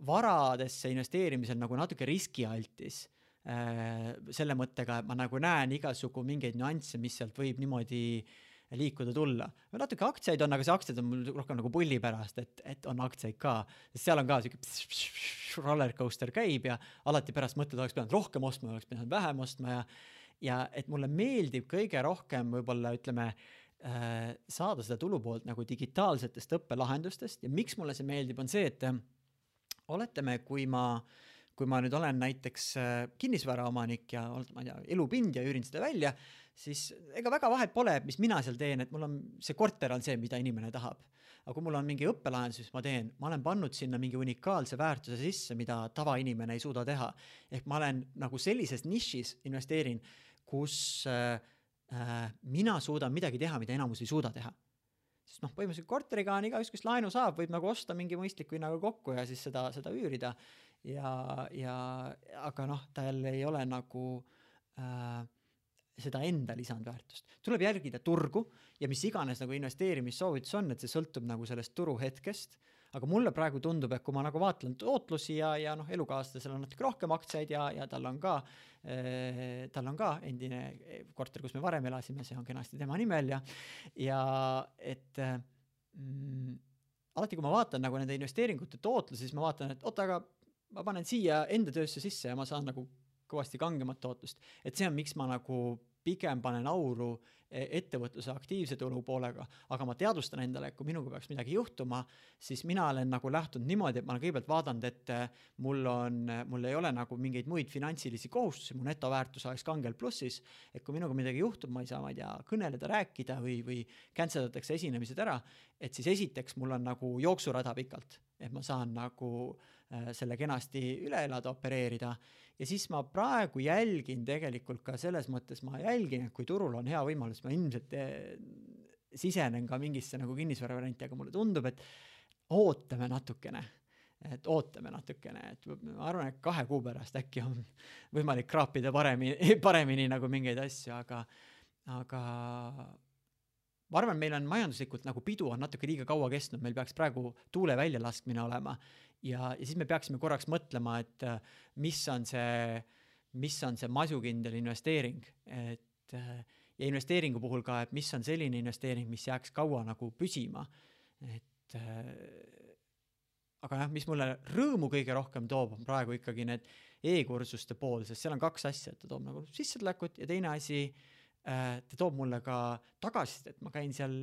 varadesse investeerimisel nagu natuke riskialtis äh, selle mõttega, et ma nagu näen igasugu mingeid nüansse, mis sealt võib niimoodi liikuda tulla. Natuke aktsiaid on, aga see aktsiaid on mul rohkem nagu pulli pärast, et, et on aktsiaid ka. Sest seal on ka siuke rollercoaster käib ja alati pärast mõtled, oleks pidanud rohkem ostma, oleks pidanud vähem ostma ja, ja et mulle meeldib kõige rohkem võib-olla ütleme äh, saada seda tulupoolt nagu digitaalsetest õppelahendustest ja miks mulle see meeldib on see, et oletame, kui ma, kui ma nüüd olen näiteks kinnisvaraomanik ja ma ei tea, elupind ja üürin seda välja, siis ega väga vahet pole, mis mina seal teen, et mul on see korter on see, mida inimene tahab. Aga kui mul on mingi õppelahendus, mis ma teen, ma olen pannud sinna mingi unikaalse väärtuse sisse, mida tavainimene ei suuda teha. Ehk ma olen nagu sellises nišis investeerin, kus äh, mina suudan midagi teha, mida enamus ei suuda teha. Sest noh, põhimõtteliselt korteriga on igaüks, kes laenu saab, võib nagu osta mingi mõistliku hinnaga kokku ja siis seda, seda üürida. Ja, ja, aga noh, tal ei ole nagu äh, seda enda lisandväärtust. Tuleb jälgida turgu ja mis iganes nagu investeerimissoovitus on, et see sõltub nagu sellest turu hetkest. Aga mulle praegu tundub, et kui ma nagu vaatlen tootlusi ja, ja noh, elukaaslasel on natuke rohkem aktsiaid ja, ja tal on ka eh, tal on ka endine korter, kus me varem elasime, see on kenasti tema nimel ja, ja et mm, alati kui ma vaatan nagu nende investeeringute tootlusi, siis ma vaatan, et oota, aga ma panen siia enda töösse sisse ja ma saan nagu kõvasti kangemat tootlust. Et see on, miks ma nagu pigem panen auru ettevõtluse aktiivse tulu poolega, aga ma teadvustan endale, et kui minuga peaks midagi juhtuma, siis mina olen nagu lähtunud niimoodi, et ma olen kõigepealt vaadanud, et mul on, mul ei ole nagu mingeid muid finantsilisi kohustusi, mu netoväärtus oleks kangel plussis, et kui minuga midagi juhtub, ma ei saa, ma ei tea, kõneleda, rääkida või, või canceldatakse esinemised ära, et siis esiteks mul on nagu jooksurada pikalt, et ma saan nagu äh, selle kenasti üle elada, opereerida. Ja siis ma praegu jälgin tegelikult ka selles mõttes, ma jälgin, et kui turul on hea võimalus, ma ilmselt eh, sisenen ka mingisse nagu kinnisvara varianti, aga mulle tundub, et ootame natukene, et ootame natukene, et ma arvan, et kahe kuu pärast äkki on võimalik kraapida paremini, paremini nagu mingeid asju, aga, aga ma arvan, meil on majanduslikult nagu pidu on natuke liiga kaua kestnud, meil peaks praegu tuule välja laskmine olema ja, ja siis me peaksime korraks mõtlema, et mis on see, mis on see masukindel investeering, et ja investeeringu puhul ka, et mis on selline investeering, mis jääks kaua nagu püsima. Et äh, aga jah, mis mulle rõõmu kõige rohkem toob, on praegu ikkagi need e-kursuste pool, sest seal on kaks asja, et ta toob nagu sissetulekut ja teine asi, äh, ta toob mulle ka tagasi, et ma käin seal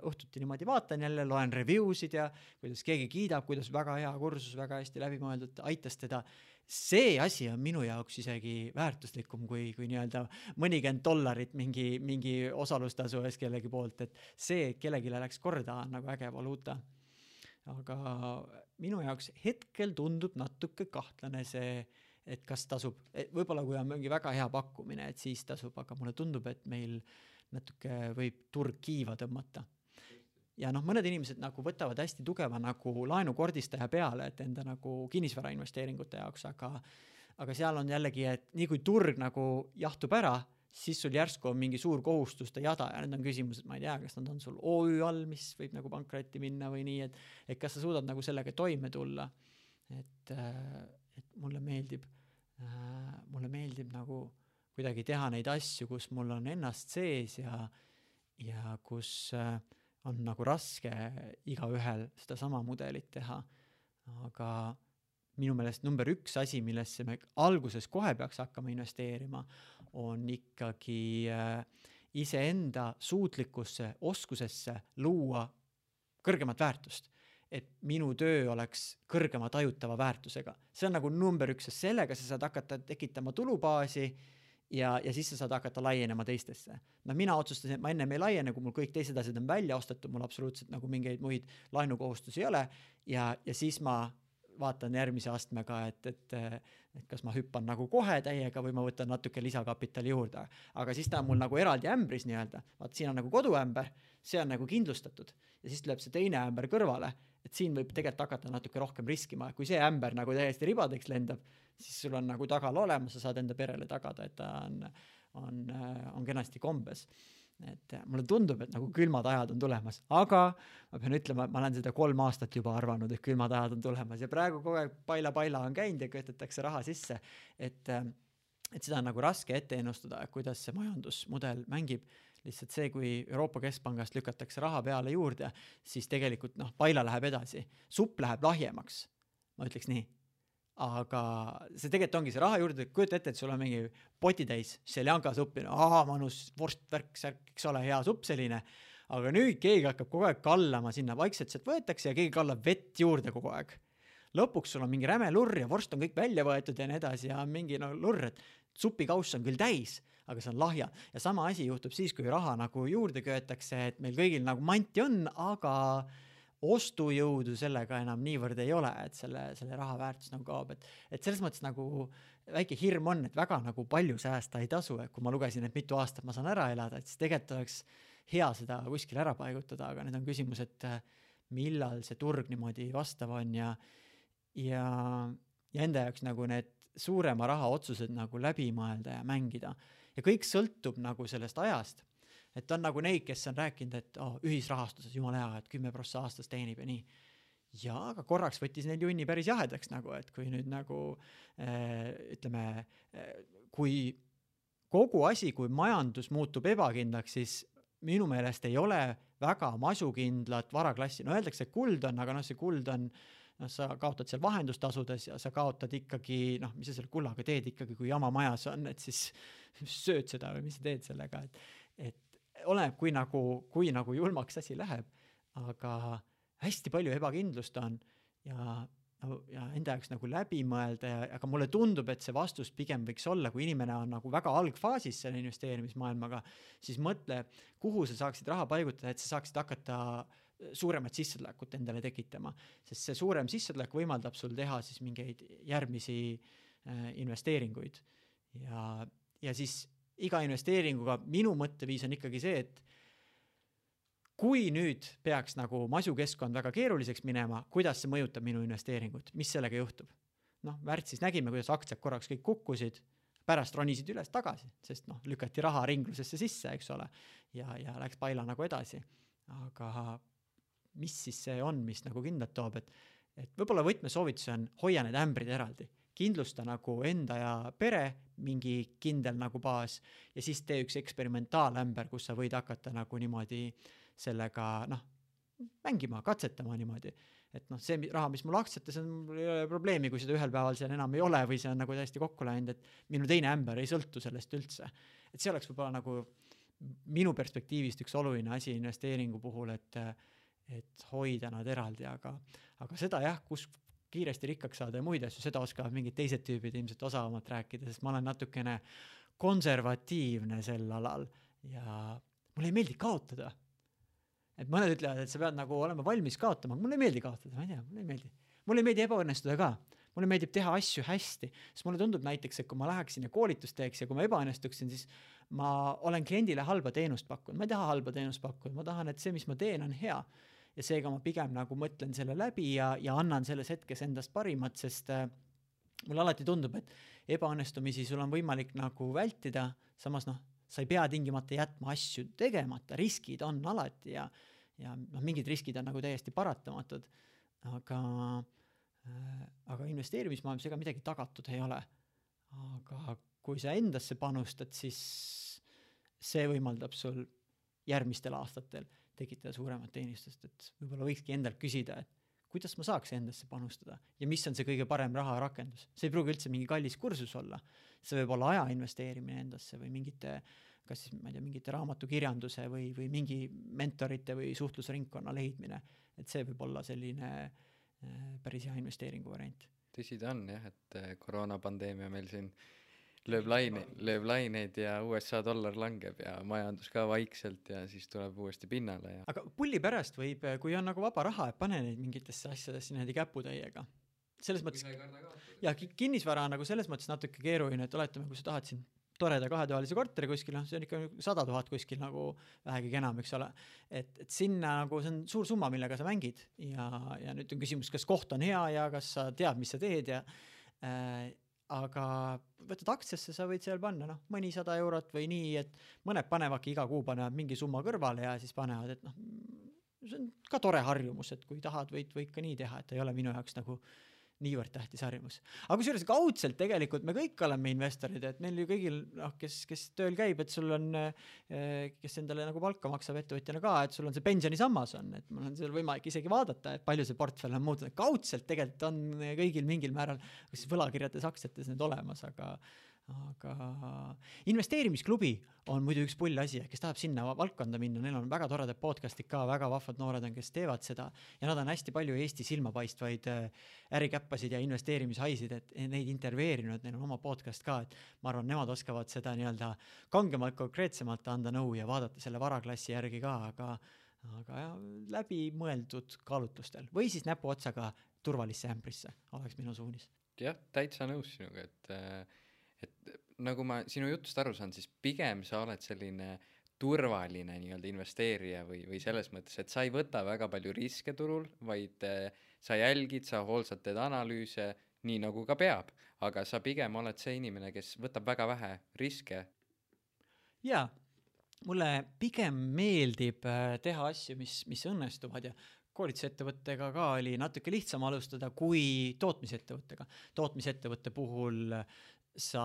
õhtuti niimoodi vaatan jälle, loen reviewsid ja kuidas keegi kiidab, kuidas väga hea kursus, väga hästi läbimõeldud, aitas teda. See asi on minu jaoks isegi väärtuslikum kui, kui nii-öelda mõnikümmend dollarit mingi, mingi osalustasu ees kellegi poolt, et see kellelegi läks korda on nagu äge valuuta. Aga minu jaoks hetkel tundub natuke kahtlane see, et kas tasub, võib-olla kui on mingi väga hea pakkumine, et siis tasub, aga mulle tundub, et meil natuke võib turg kiiva tõmmata. Ja noh, mõned inimesed nagu võtavad hästi tugeva nagu laenukordistaja peale, et enda nagu kinnisvara investeeringute jaoks, aga, aga seal on jällegi, et nii kui turg nagu jahtub ära, siis sul järsku on mingi suur kohustuste jada ja need on küsimused, ma ei tea, kas nad on sul O Ü all, mis võib nagu pankrotti minna või nii, et, et kas sa suudad nagu sellega toime tulla. Et, et mulle meeldib, mulle meeldib nagu kuidagi teha neid asju, kus mul on ennast sees ja, ja kus on nagu raske igaühel seda sama mudelit teha. Aga minu meelest number üks asi, millesse me alguses kohe peaks hakkama investeerima, on ikkagi iseenda suutlikkusse, oskusesse luua kõrgemat väärtust. Et minu töö oleks kõrgema tajutava väärtusega. See on nagu number üks, sest sellega sa saad hakata tekitama tulubaasi ja, ja siis sa saad hakata laienema teistesse. No mina otsustasin, et ma ennem ei laiene, kui mul kõik teised asjad on välja ostetud, mul absoluutselt nagu mingeid muid laenukohustusi ei ole ja, ja siis ma vaatan järgmise astmega, et, et, et kas ma hüppan nagu kohe täiega või ma võtan natuke lisakapitali juurde. Aga siis ta on mul nagu eraldi ämbris nii-öelda. Vaat siin on nagu koduämber, see on nagu kindlustatud ja siis tuleb see teine ämber kõrvale, et siin võib tegelikult hakata natuke rohkem riskima. Kui see ämber nagu täiesti ribadeks lendab, siis sul on nagu tagal olemas, sa saad enda perele tagada, et ta on, on, on kenasti kombes. Et mulle tundub, et nagu külmad ajad on tulemas, aga ma pean ütlema, et ma olen seda kolm aastat juba arvanud, et külmad ajad on tulemas ja praegu kogu aeg paila-paila on käinud ja köetetakse raha sisse, et, et seda on nagu raske ette ennustada, kuidas see majandusmudel mängib. Lihtsalt see, kui Euroopa Keskpangast lükatakse raha peale juurde, siis tegelikult noh, paila läheb edasi. Supp läheb lahjemaks, ma ütleks nii. Aga see tegelikult ongi see raha juurde, kujuta ette, et sul on mingi potitäis seljanka suppi, no aha, manus, vorst, värk, särk, eks ole, hea supp selline, aga nüüd keegi hakkab kogu aeg kallama sinna, vaikselt sealt võetakse ja keegi kallab vett juurde kogu aeg. Lõpuks sul on mingi räme lurr ja vorst on kõik välja võetud ja nii edasi ja mingi no, lurr, et supikauss on küll täis, aga see on lahja. Ja sama asi juhtub siis, kui raha nagu juurde köetakse, et meil kõigil nagu manti on, aga ostujõudu sellega enam niivõrd ei ole, et selle, selle raha väärtus nagu kaob. Et, et selles mõttes nagu väike hirm on, et väga nagu palju säästa ei tasu, et kui ma lugesin, et mitu aastat ma saan ära elada, et siis tegelikult oleks hea seda kuskil ära paigutada, aga need on küsimus, et millal see turg niimoodi vastav on ja, ja, ja enda jaoks nagu need suurema raha otsused nagu läbi mõelda ja mängida. Ja kõik sõltub nagu sellest ajast. Et on nagu neid, kes on rääkinud, et oh, ühisrahastuses jumala hea, et kümme prossa aastas teenib ja nii. Ja aga korraks võttis neil junni päris jahedaks nagu, et kui nüüd nagu äh, ütleme, äh, kui kogu asi, kui majandus muutub ebakindlaks, siis minu meelest ei ole väga masukindlat varaklassi. No öeldakse, et kuld on, aga noh, see kuld on, noh, sa kaotad seal vahendustasudes ja sa kaotad ikkagi, noh, mis sa selle kullaga teed ikkagi, kui jama majas on, et siis sööd seda või mis sa teed sellega, et, et oleneb, kui nagu, kui nagu julmaks asi läheb, aga hästi palju ebakindlust on ja, ja enda jaoks nagu läbi mõelda, ja, aga mulle tundub, et see vastus pigem võiks olla, kui inimene on nagu väga algfaasis selle investeerimismaailmaga, siis mõtle, kuhu sa saaksid raha paigutada, et sa saaksid hakata suuremat sissetulekut endale tekitama, sest see suurem sissetulek võimaldab sul teha siis mingeid järgmisi äh, investeeringuid ja, ja siis iga investeeringuga minu mõtteviis on ikkagi see, et kui nüüd peaks nagu masukeskkond väga keeruliseks minema, kuidas see mõjutab minu investeeringut, mis sellega juhtub? Noh, märtsis nägime, kuidas aktsiad korraks kõik kukkusid, pärast ronisid üles tagasi, sest noh, lükati raha ringlusesse sisse, eks ole, ja, ja läks paila nagu edasi. Aga mis siis see on, mis nagu kindlalt toob, et, et võib-olla võtmesoovitus on hoia need ämbrid eraldi. kindlusta nagu enda ja pere mingi kindel nagu baas ja siis tee üks eksperimentaalämber, kus sa võid hakata nagu niimoodi sellega noh, mängima, katsetama niimoodi. Et noh, see raha, mis mul aktsiate, see on mul ei ole probleemi, kui seda ühel päeval seal enam ei ole või see on nagu täiesti kokku läinud, et minu teine ämber ei sõltu sellest üldse. Et see oleks võib-olla nagu minu perspektiivist üks oluline asi investeeringu puhul, et, et hoida nad eraldi, aga, aga seda jah, kus kiiresti rikkaks saada ja muid asju, seda oskavad mingid teised tüübid ilmselt osavamalt rääkida, sest ma olen natukene konservatiivne sel alal ja mulle ei meeldi kaotada. Et mõned ütlevad, et sa pead nagu olema valmis kaotama, aga mulle ei meeldi kaotada, ma ei tea, mulle ei meeldi. Mulle ei meeldi ebaõnnestuda ka, mulle meeldib teha asju hästi, sest mulle tundub näiteks, et kui ma läheksin ja koolitust teeks ja kui ma ebaõnnestuksin, siis ma olen kliendile halba teenust pakkunud, ma ei taha halba teenust pakkunud, ma tahan, et see, mis ma teen, on hea. Ja seega ma pigem nagu mõtlen selle läbi ja, ja annan selles hetkes endast parimat, sest äh, mulle alati tundub, et ebaõnnestumisi sul on võimalik nagu vältida, samas noh, sa ei pea tingimata jätma asju tegemata, riskid on alati ja, ja noh, mingid riskid on nagu täiesti paratamatud, aga, äh, aga investeerimismaailmas ega midagi tagatud ei ole. Aga kui sa endasse panustad, siis see võimaldab sul järgmistel aastatel tekitada suuremat teenistust, et võib-olla võikski endalt küsida, et kuidas ma saaks endasse panustada ja mis on see kõige parem raha rakendus. See ei pruugi üldse mingi kallis kursus olla. See võib olla aja investeerimine endasse või mingite, kas siis, ma ei tea, mingite raamatukirjanduse või, või mingi mentorite või suhtlusringkonna leidmine. Et see võib olla selline päris hea investeeringu variant. Tõsi ta on jah, et koroonapandeemia meil siin lööb, laine, lööb laineid ja U S A dollar langeb ja majandus ka vaikselt ja siis tuleb uuesti pinnale. Ja... Aga pulli pärast võib, kui on nagu vaba raha, et pane neid mingitesse asjadesse näidi käputäiega. Selles mõttes, ja kinnisvara on nagu selles mõttes natuke keeruline, et oletame, kui sa tahad siin toreda kahetoalise korteri kuskil, no see on ikka sada tuhat kuskil nagu vähegi enam, eks ole. Et, et sinna nagu see on suur summa, millega sa mängid ja, ja nüüd on küsimus, kas koht on hea ja kas sa tead, mis sa teed ja äh, aga võtad aktsiasse, sa võid seal panna noh, mõni sada eurot või nii, et mõned panevadki iga kuu panevad mingi summa kõrvale ja siis panevad, et noh, see on ka tore harjumus, et kui tahad, võid, võid ka nii teha, et ei ole minu jaoks nagu niivõrd tähtis harjumus. Aga kusjuures kaudselt tegelikult me kõik oleme investorid, et meil ju kõigil, noh, kes, kes tööl käib, et sul on, kes endale nagu palka maksab ettevõtjana ka, et sul on see pensionisammas on, et mul on seal võimalik isegi vaadata, et palju see portfell on muutunud. Kaudselt tegelikult on kõigil mingil määral, kas võlakirjades aktsiates need olemas, aga, aga investeerimisklubi on muidu üks pull asi, kes tahab sinna valdkonda minna, neil on väga toredad podcastid ka, väga vahvad noored on, kes teevad seda ja nad on hästi palju Eesti silmapaistvaid ärikäppasid ja investeerimishaisid, et neid intervjueerinud, neil on oma podcast ka, et ma arvan, nemad oskavad seda nii-öelda kangemalt, konkreetsemalt anda nõu ja vaadata selle varaklassi järgi ka, aga, aga ja, läbi mõeldud kaalutlustel või siis näpu otsaga turvalisse ämbrisse oleks minu suunis. Jah, täitsa nõus sinuga, et et nagu ma sinu jutust aru saan, siis pigem sa oled selline turvaline nii-öelda investeerija või, või selles mõttes, et sa ei võta väga palju riske turul, vaid sa jälgid, sa hoolsad teed analüüse, nii nagu ka peab, aga sa pigem oled see inimene, kes võtab väga vähe riske. Jaa, mulle pigem meeldib teha asju, mis, mis õnnestuvad ja koolitusettevõttega ka oli natuke lihtsam alustada kui tootmisettevõttega. Tootmisettevõtte puhul sa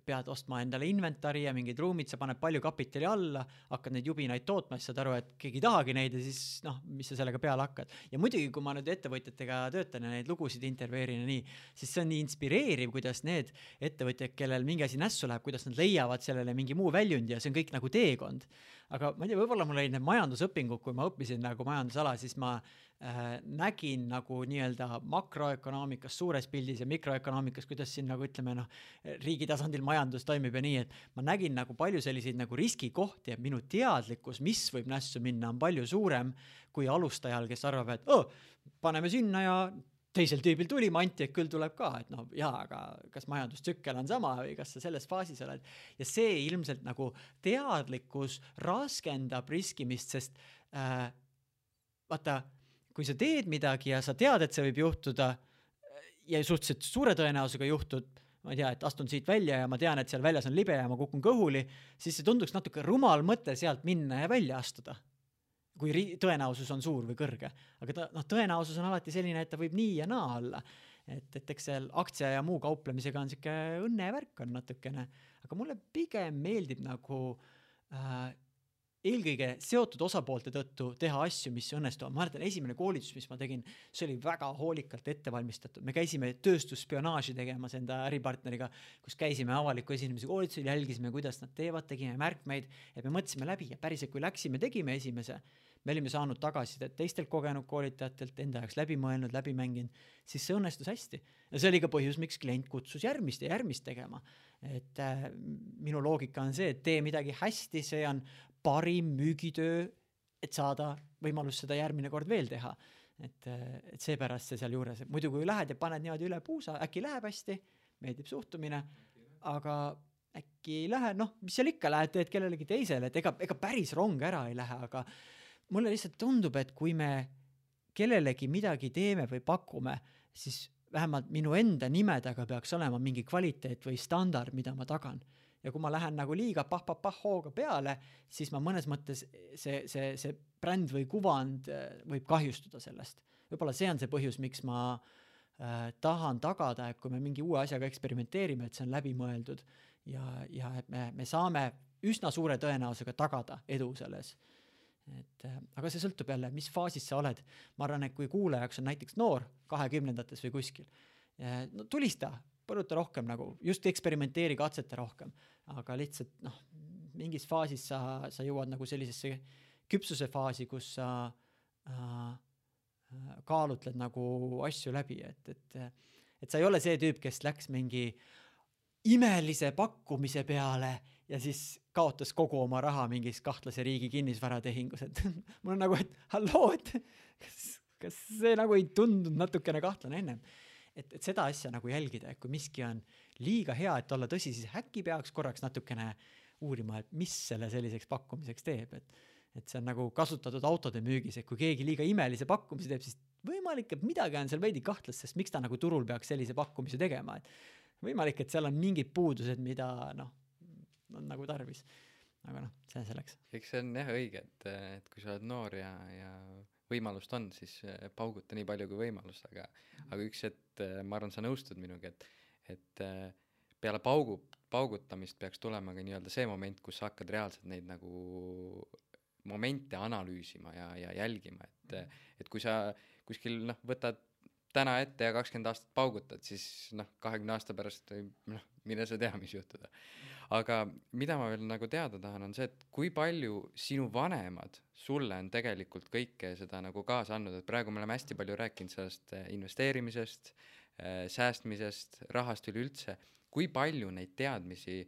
pead ostma endale inventari ja mingid ruumid, sa paned palju kapitali alla, hakkad neid jubinaid tootma, siis saad aru, et keegi tahagi neid ja siis noh, mis sa sellega peale hakkad. Ja muidugi, kui ma nüüd ettevõtjatega töötan ja neid lugusid intervjueerin ja nii, siis see on nii inspireeriv, kuidas need ettevõtjad, kellel mingi asi nässu läheb, kuidas nad leiavad sellele mingi muu väljundi ja see on kõik nagu teekond. Aga ma ei tea, võib-olla mul olid need majandusõpingud, kui ma õppisin nagu majandusala, siis ma äh, nägin nagu nii-öelda makroökonoomikas, suures pildis ja mikroökonoomikas, kuidas siin nagu ütleme, noh, riigi tasandil majandus toimib ja nii, et ma nägin nagu palju selliseid nagu riskikohti ja minu teadlikkus, mis võib nässu minna, on palju suurem kui alustajal, kes arvab, et oh, paneme sinna ja teisel tüübil tuli, manti, et küll tuleb ka, et noh, jaa, aga kas majandustsükkel on sama või kas sa selles faasis oled. Ja see ilmselt nagu teadlikkus raskendab riskimist, sest äh, vaata, kui sa teed midagi ja sa tead, et see võib juhtuda ja suhteliselt suure tõenäosusega juhtud, ma ei tea, et astun siit välja ja ma tean, et seal väljas on libe ja ma kukun kõhuli, siis see tunduks natuke rumal mõte sealt minna ja välja astuda, kui tõenäosus on suur või kõrge. Aga ta, noh, tõenäosus on alati selline, et ta võib nii ja naa olla. et, et eks seal aktsia ja muu kauplemisega on siuke õnnevärk on natukene, aga mulle pigem meeldib nagu äh, eelkõige seotud osapoolte tõttu teha asju, mis õnnestuvad. Ma mäletan, esimene koolitus, mis ma tegin, see oli väga hoolikalt ettevalmistatud. Me käisime tööstusspionaaži tegemas enda äripartneriga, kus käisime avaliku esinemise koolitusel, jälgisime, kuidas nad teevad, tegime märkmeid, et me mõtlesime läbi ja päriselt, kui läksime, tegime esimese, me olime saanud tagasisidet teistelt kogenud koolitajatelt, enda jaoks läbi mõelnud, läbi mänginud, siis see õnnestus hästi. Ja see oli ka põhjus, miks klient kutsus järgmist ja järgmist tegema. Et äh, minu loogika on see, et tee midagi hästi, see on parim müügitöö, et saada võimalus seda järgmine kord veel teha. Et, et seepärast see seal juures. Muidu kui lähed ja paned niimoodi üle puusa, äkki läheb hästi, meeldib suhtumine, aga äkki ei lähe, noh, mis seal ikka lähed, teed kellelegi teisele, et ega, ega päris rong ära ei lähe, aga mulle lihtsalt tundub, et kui me kellelegi midagi teeme või pakume, siis vähemalt minu enda nimedega peaks olema mingi kvaliteet või standard, mida ma tagan. Ja kui ma lähen nagu liiga pah-pah-pah hooga peale, siis ma mõnes mõttes see, see, see bränd või kuvand võib kahjustuda sellest. Võib-olla see on see põhjus, miks ma äh, tahan tagada, et kui me mingi uue asjaga eksperimenteerime, et see on läbi mõeldud ja, ja et me, me saame üsna suure tõenäosusega tagada edu selles. Et, aga see sõltub jälle, mis faasis sa oled. Ma arvan, et kui kuulajaks on näiteks noor kahekümnendates või kuskil, no tulista, põruta rohkem nagu, just eksperimenteeri, katseta rohkem, aga lihtsalt noh, mingis faasis sa, sa jõuad nagu sellisesse küpsuse faasi, kus sa äh, kaalutled nagu asju läbi, et, et, et sa ei ole see tüüp, kes läks mingi imelise pakkumise peale ja siis kaotas kogu oma raha mingis kahtlase riigi kinnisvaratehingus, et mul on nagu, et halloo, et kas, kas see nagu ei tundunud natukene kahtlane ennem. Et, et seda asja nagu jälgida, et kui miski on liiga hea, et olla tõsi, siis äkki peaks korraks natukene uurima, et mis selle selliseks pakkumiseks teeb, et, et see on nagu kasutatud autode müügis, et kui keegi liiga imelise pakkumise teeb, siis võimalik, et midagi on seal veidi kahtlast, sest miks ta nagu turul peaks sellise pakkumise tegema, et võimalik, et seal on mingid puudused, mida noh, on nagu tarvis. Aga noh, see selleks. Eks see on jah õige, et, et kui sa oled noor ja, ja võimalust on, siis pauguta nii palju kui võimalus, aga, aga üks, et ma arvan, sa nõustud minuga, et, et peale paugu, paugutamist peaks tulema ka nii-öelda see moment, kus sa hakkad reaalselt neid nagu momente analüüsima ja, ja jälgima, et, et kui sa kuskil noh, võtad täna ette ja kakskümmend aastat paugutad, siis noh, kahekümne aasta pärast noh, mine sa tea, mis juhtuda. Aga mida ma veel nagu teada tahan, on see, et kui palju sinu vanemad sulle on tegelikult kõike seda nagu kaasa andnud, et praegu me oleme hästi palju rääkinud sellest investeerimisest, säästmisest, rahast üleüldse. Kui palju neid teadmisi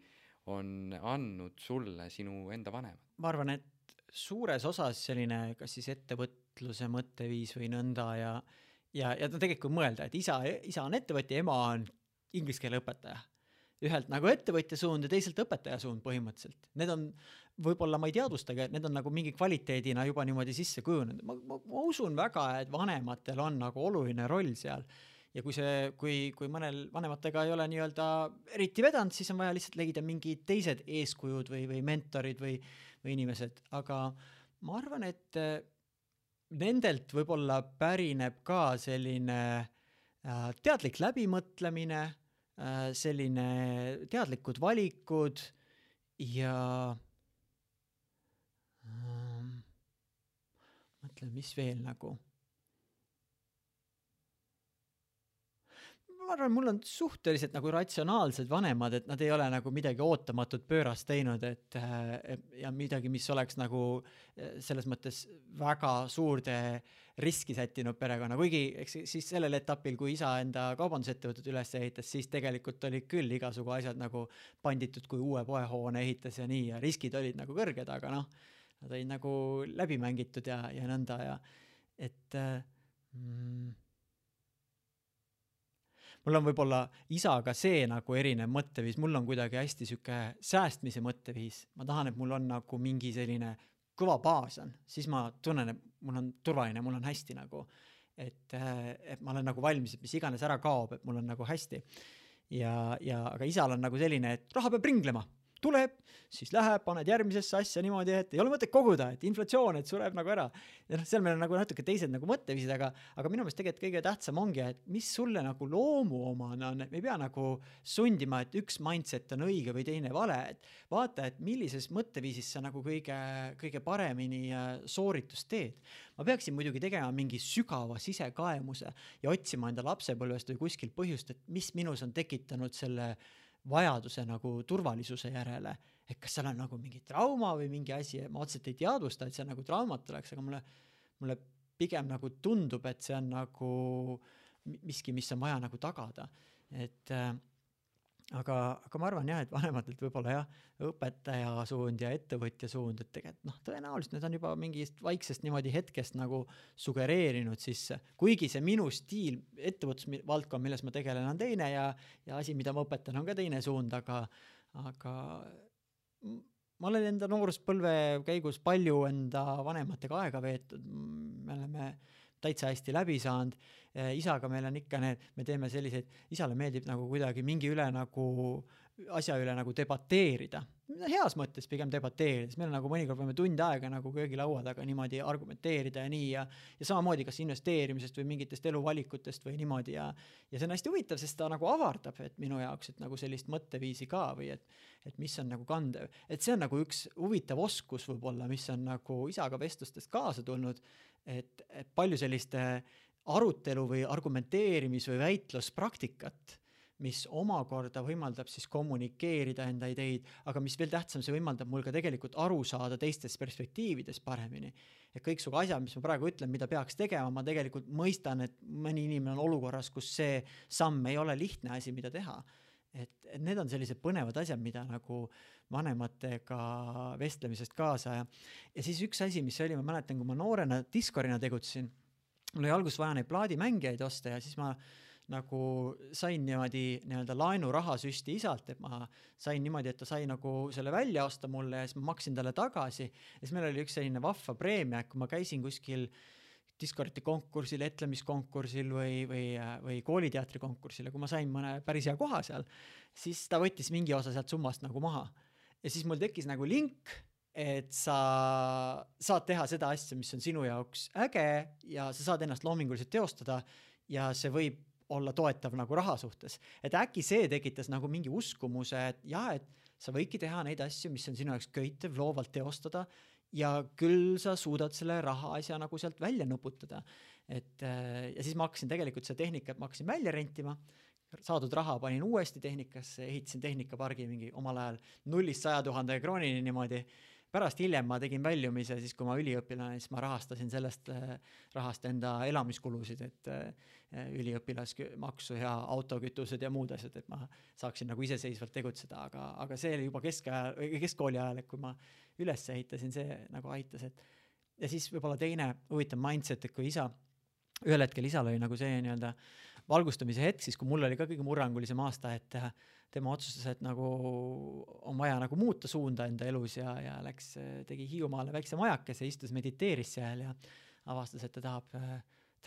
on andnud sulle sinu enda vanemad? Ma arvan, et suures osas selline kas siis ettevõtluse mõtteviis või nõnda ja Ja, ja ta tegelikult mõelda, et isa, isa on ettevõtja, ema on inglise keele õpetaja. Ühelt nagu ettevõtja suund ja teiselt õpetaja suund põhimõtteliselt. Need on, võib-olla ma ei teadvustage, et need on nagu mingi kvaliteedina juba niimoodi sisse kujunenud. Ma, ma, ma usun väga, et vanematel on nagu oluline roll seal. Ja kui, see, kui, kui mõnel vanematega ei ole nii-öelda eriti vedanud, siis on vaja lihtsalt leida mingi teised eeskujud või, või mentorid või, või inimesed. Aga ma arvan, et nendelt võib-olla pärineb ka selline äh, teadlik läbimõtlemine, äh, selline teadlikud valikud ja äh, mõtlen, mis veel nagu. Ma arvan, mul on suhteliselt nagu ratsionaalsed vanemad, et nad ei ole nagu midagi ootamatut pöörast teinud, et ja midagi, mis oleks nagu selles mõttes väga suurde riski sättinud perekonna. Kuigi eks, siis sellel etapil, kui isa enda kaubandusettevõtet üles ehitas, siis tegelikult oli küll igasugu asjad nagu panditud, kui uue poehoone ehitas ja nii, ja riskid olid nagu kõrged, aga noh, nad olid nagu läbi mängitud ja, ja nõnda ja et mm, mul on võib-olla isaga see nagu erinev mõtteviis, mul on kuidagi hästi süke säästmise mõtteviis. Ma tahan, et mul on nagu mingi selline kõva baas on, siis ma tunnen, et mul on turvaline, mul on hästi nagu, et, et ma olen nagu valmis, et mis iganes ära kaob, et mul on nagu hästi. Ja, ja, aga isal on nagu selline, et raha peab ringlema. tuleb, siis läheb, paned järgmisesse asja niimoodi, et ei ole mõtet koguda, et inflatsioon, et sureb nagu ära. Ja noh, seal meil on nagu natuke teised nagu mõtteviisid, aga, aga minu meelest tegelikult kõige tähtsam ongi, et mis sulle nagu loomuomane on, et me ei pea nagu sundima, et üks mindset on õige või teine vale, et vaata, et millises mõtteviisis sa nagu kõige, kõige paremini sooritust teed. Ma peaksin muidugi tegema mingi sügava sisekaemuse ja otsima enda lapsepõlvest või kuskil põhjust, et mis minus on tekitanud selle vajaduse nagu turvalisuse järele, et kas seal on nagu mingi trauma või mingi asi, ma otseselt ei teadvusta, et see nagu traumat oleks, aga mulle, mulle pigem nagu tundub, et see on nagu miski, mis on vaja nagu tagada. Et äh, aga, aga ma arvan jah, et vanematelt võib-olla jah, õpetaja suund ja ettevõtja suund, et tegelikult noh, tõenäoliselt need on juba mingist vaiksest niimoodi hetkest nagu sugereerinud sisse, kuigi see minu stiil, ettevõtlusvaldkond, milles ma tegelen, on teine ja, ja asi, mida ma õpetan, on ka teine suund, aga, aga ma olen enda nooruspõlve käigus palju enda vanematega aega veetud, me oleme täitsa hästi läbi saanud, isaga meil on ikka need, me teeme selliseid, isale meeldib nagu kuidagi mingi üle nagu asja üle nagu debateerida, heas mõttes pigem debateerida, siis meil on nagu mõnikord võime tund aega nagu köögilaua taga niimoodi argumenteerida ja nii ja, ja samamoodi kas investeerimisest või mingitest eluvalikutest või niimoodi ja, ja see on hästi huvitav, sest ta nagu avardab, et minu jaoks, et nagu sellist mõtteviisi ka või et, et mis on nagu kandev, et see on nagu üks huvitav oskus võib-olla, mis on nagu isaga vestlustest kaasa tulnud, et, et palju selliste arutelu või argumenteerimis või väitluspraktikat, mis omakorda võimaldab siis kommunikeerida enda ideid, aga mis veel tähtsam, see võimaldab mul ka tegelikult aru saada teistes perspektiivides paremini. Et kõik su asjad, mis ma praegu ütlen, mida peaks tegema, ma tegelikult mõistan, et mõni inimene on olukorras, kus see samm ei ole lihtne asi, mida teha. Et, et need on sellised põnevad asjad, mida nagu vanematega vestlemisest kaasa ja, ja siis üks asi, mis oli, ma mäletan, kui ma noorena Discordina tegutsin, mul oli alguses vaja neid plaadimängijaid osta ja siis ma nagu sain niimoodi nii-öelda laenuraha süsti isalt, et ma sain niimoodi, et ta sai nagu selle välja osta mulle ja siis ma maksin talle tagasi ja siis meil oli üks selline vahva preemia, kui ma käisin kuskil Discordi konkursil, etlemiskonkursil või, või, või kooliteatri konkursil ja kui ma sain mõne päris hea koha seal, siis ta võttis mingi osa sealt summast nagu maha ja siis mul tekkis nagu link, et sa saad teha seda asja, mis on sinu jaoks äge ja sa saad ennast loominguliselt teostada ja see võib olla toetav nagu raha suhtes. Et äkki see tekitas nagu mingi uskumuse, et jah, et sa võidki teha neid asju, mis on sinu jaoks köitev, loovalt teostada ja küll sa suudad selle raha asja nagu sealt välja nuputada. Et, ja siis ma hakkasin tegelikult seda tehnikat, ma hakkasin välja rentima, saadud raha panin uuesti tehnikasse, ehitasin tehnikapargi mingi omal ajal nullist saja tuhande kroonini niimoodi. Pärast hiljem ma tegin väljumise, siis kui ma üliõpilane, siis ma rahastasin sellest rahast enda elamiskulusid, et üliõpilasmaksu ja autokütused ja muud asjad, et ma saaksin nagu iseseisvalt tegutseda, aga, aga see oli juba keskajal, keskkooli ajal, et kui ma üles ehitasin, see nagu aitas, et ja siis võib-olla teine huvitav mindset, et kui isa, ühel hetkel isal oli nagu see nii-öelda valgustamise hetk, siis kui mul oli ka kõige murrangulisem aasta, et tema otsustas, et nagu on vaja nagu muuta suunda enda elus ja, ja läks, tegi Hiiumaale väikse majakese, istus, mediteeris seal ja avastas, et ta tahab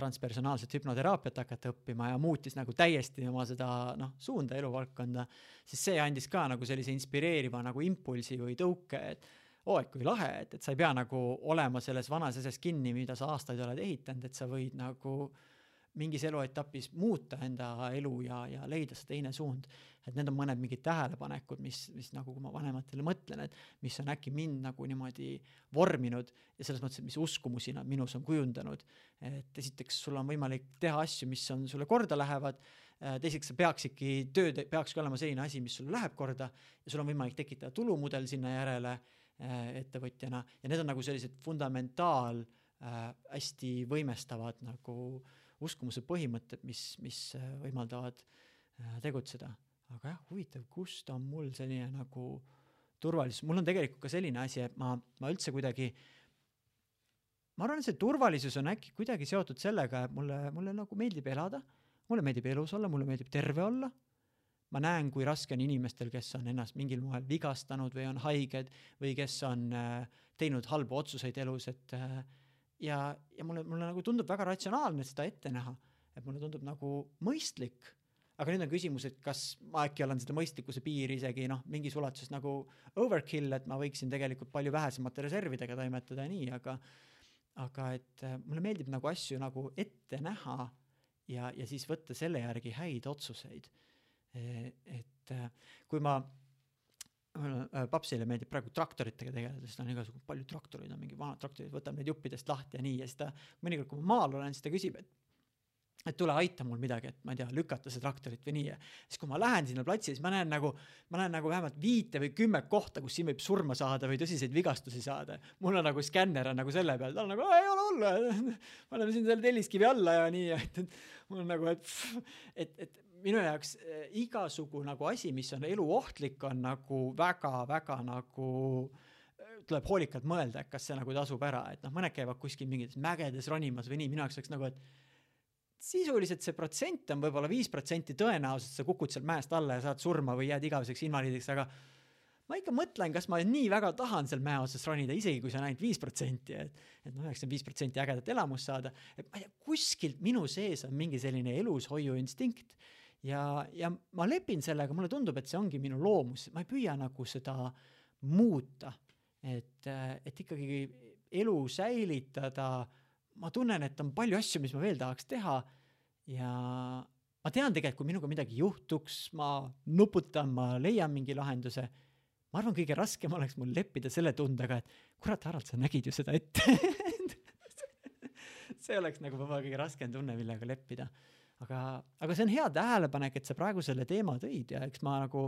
transpersonaalset hüpnoteraapiat hakata õppima ja muutis nagu täiesti oma seda noh, suunda eluvaldkonda, siis see andis ka nagu sellise inspireeriva nagu impulsi või tõuke, et oo, et kui lahe, et, et sa ei pea nagu olema selles vanas asjas kinni, mida sa aastaid oled ehitanud, et sa võid nagu mingis eluetapis muuta enda elu ja, ja leida see teine suund. Et need on mõned mingid tähelepanekud, mis, mis nagu kui ma vanematele mõtlen, et mis on äkki mind nagu niimoodi vorminud ja selles mõttes, et mis uskumusi nad minus on kujundanud. Et esiteks sul on võimalik teha asju, mis on sulle korda lähevad, teiseks sa peaksidki, tööd peakski olema selline asi, mis sulle läheb korda ja sul on võimalik tekitada tulumudel sinna järele ettevõtjana ja need on nagu sellised fundamentaal hästi võimestavad nagu uskumuse põhimõtted, mis, mis võimaldavad tegutseda. Aga jah, huvitav, kust on mul selline nagu turvalisus. Mul on tegelikult ka selline asi, et ma, ma üldse kuidagi, ma arvan, et see turvalisus on äkki kuidagi seotud sellega, et mulle, mulle nagu meeldib elada, mulle meeldib elus olla, mulle meeldib terve olla. Ma näen, kui raske on inimestel, kes on ennast mingil moel vigastanud või on haiged või kes on teinud halbu otsuseid elus, et ja, ja mulle, mulle nagu tundub väga ratsionaalne seda ette näha, et mulle tundub nagu mõistlik, aga nüüd on küsimus, et kas ma äkki olen seda mõistlikkuse piiri isegi noh, mingis ulatuses nagu overkill, et ma võiksin tegelikult palju vähesemate reservidega toimetada ja nii, aga aga et mulle meeldib nagu asju nagu ette näha ja, ja siis võtta selle järgi häid otsuseid. Et kui ma papsile meeldib praegu traktoritega tegeleda, sest on igasugu palju traktorid, on mingi vanad traktorid, võtab need juppidest lahti ja nii, ja siis ta mõnikord, kui ma maal olen, siis ta küsib, et et tule aita mul midagi, et ma ei tea, lükata see traktorit või nii. Ja siis kui ma lähen sinna platsi, siis ma näen nagu, ma näen nagu vähemalt viite või kümme kohta, kus siin võib surma saada või tõsiseid vigastusi saada. Mul on nagu skänner on nagu selle peal, ta on nagu, ei ole olla, ma olen siin selle telliskivi alla ja nii, et, et mul on nagu, et, et, et minu jaoks igasugu nagu asi, mis on eluohtlik, on nagu väga, väga nagu tuleb hoolikalt mõelda, kas see nagu tasub ära, et noh, mõned käivad kuskil mingites mägedes ronimas või nii, minu jaoks oleks nagu, et sisuliselt see protsent on võib-olla viis protsenti tõenäoliselt, sa kukud seal mäest alla ja saad surma või jääd igaveseks invaliidiks, aga ma ikka mõtlen, kas ma nii väga tahan seal mäe otsas ronida, isegi kui see on ainult viis protsenti, et, et noh, üheksakümmend viis protsenti ägedat elamust saada, et ma ei tea, kuskilt minu sees on mingi selline elushoiu instinkt ja, ja ma lepin sellega, mulle tundub, et see ongi minu loomus, ma ei püüa nagu seda muuta, et, et ikkagi elu säilitada. Ma tunnen, et on palju asju, mis ma veel tahaks teha ja ma tean tegelikult, kui minuga midagi juhtuks, ma nuputan, ma leian mingi lahenduse. Ma arvan, kõige raskem oleks mul leppida selle tundega, et kurat, Harald, sa nägid ju seda ette. See oleks nagu võib-olla kõige raskem tunne, millega leppida. Aga, aga see on hea tähelepanek, et sa praegu selle teema tõid ja eks ma nagu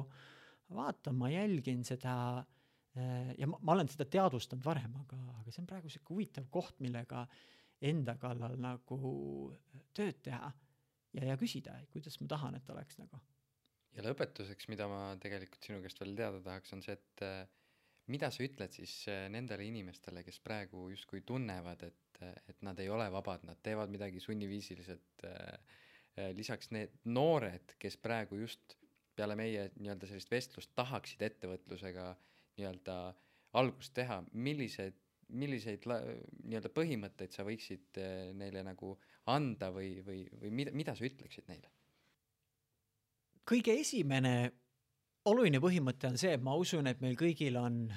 vaatan, ma jälgin seda ja ma, ma olen seda teadvustanud varem, aga, aga see on praegu see huvitav koht, millega enda kallal nagu tööd teha ja, ja küsida, kuidas ma tahan, et oleks nagu. Ja lõpetuseks, mida ma tegelikult sinu käest veel teada tahaks, on see, et mida sa ütled siis nendele inimestele, kes praegu justkui tunnevad, et, et nad ei ole vabad, nad teevad midagi sunniviisiliselt. Lisaks need noored, kes praegu just peale meie nii-öelda sellist vestlust tahaksid ettevõtlusega nii-öelda algust teha, millised milliseid la, nii-öelda põhimõtteid sa võiksid neile nagu anda või, või, või mida, mida sa ütleksid neile? Kõige esimene oluline põhimõte on see, et ma usun, et meil kõigil on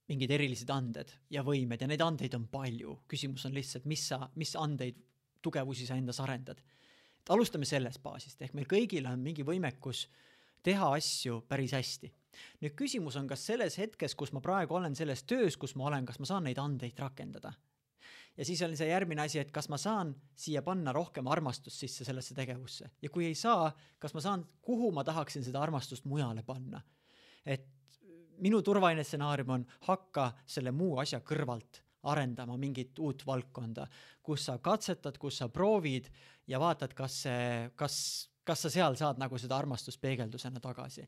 mingid erilised anded ja võimed ja neid andeid on palju. Küsimus on lihtsalt, mis, sa, mis andeid, tugevusi sa endas arendad. Et alustame sellest baasist, ehk meil kõigil on mingi võimekus teha asju päris hästi. Nüüd küsimus on, kas selles hetkes, kus ma praegu olen selles töös, kus ma olen, kas ma saan neid andeid rakendada. Ja siis on see järgmine asi, et kas ma saan siia panna rohkem armastust sisse sellesse tegevusse. Ja kui ei saa, kas ma saan, kuhu ma tahaksin seda armastust mujale panna. Et minu turvaline stsenaarium on hakka selle muu asja kõrvalt arendama mingit uut valdkonda, kus sa katsetad, kus sa proovid ja vaatad, kas, see, kas, kas sa seal saad nagu seda armastust peegeldusena tagasi.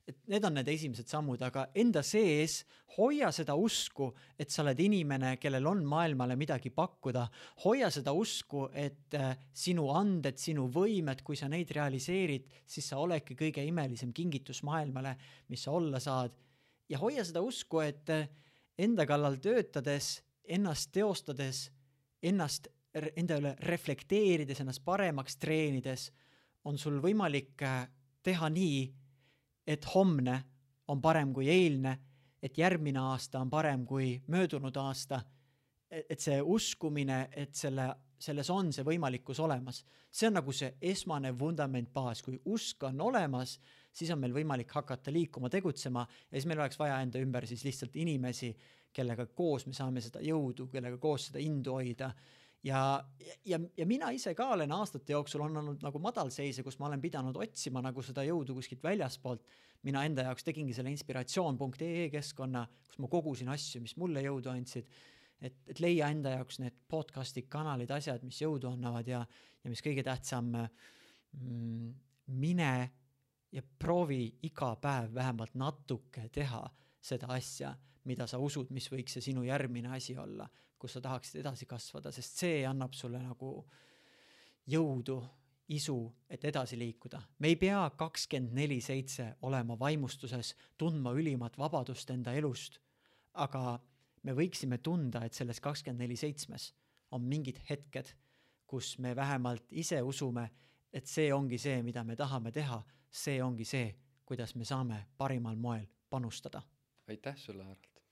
Et need on need esimesed sammud, aga enda sees hoia seda usku, et sa oled inimene, kellel on maailmale midagi pakkuda. Hoia seda usku, et sinu anded, sinu võimed, kui sa neid realiseerid, siis sa oledki kõige imelisem kingitus maailmale, mis sa olla saad. Ja hoia seda usku, et enda kallal töötades, ennast teostades, ennast enda üle reflekteerides, ennast paremaks treenides, on sul võimalik teha nii, et homne on parem kui eilne, et järgmine aasta on parem kui möödunud aasta, et see uskumine, et selle, selles on see võimalikkus olemas. See on nagu see esmane vundament baas. Kui usk on olemas, siis on meil võimalik hakata liikuma, tegutsema ja siis meil oleks vaja enda ümber siis lihtsalt inimesi, kellega koos me saame seda jõudu, kellega koos seda indu hoida. Ja, ja, ja mina ise ka olen aastate jooksul on olnud nagu madalseise, kus ma olen pidanud otsima nagu seda jõudu kuskilt väljaspoolt. Mina enda jaoks tegingi selle inspiratsioon punkt ee keskkonna, kus ma kogusin asju, mis mulle jõudu andsid, et, et leia enda jaoks need podcastid, kanalid, asjad, mis jõudu annavad ja, ja mis kõige tähtsam, mm, mine ja proovi iga päev vähemalt natuke teha seda asja, mida sa usud, mis võiks see sinu järgmine asi olla, kus sa tahaksid edasi kasvada, sest see annab sulle nagu jõudu, isu, et edasi liikuda. Me ei pea kakskümmend neli seitse olema vaimustuses, tundma ülimat vabadust enda elust, aga me võiksime tunda, et selles kakskümmend neli seitse on mingid hetked, kus me vähemalt ise usume, et see ongi see, mida me tahame teha, see ongi see, kuidas me saame parimal moel panustada. Aitäh sulle, Harald.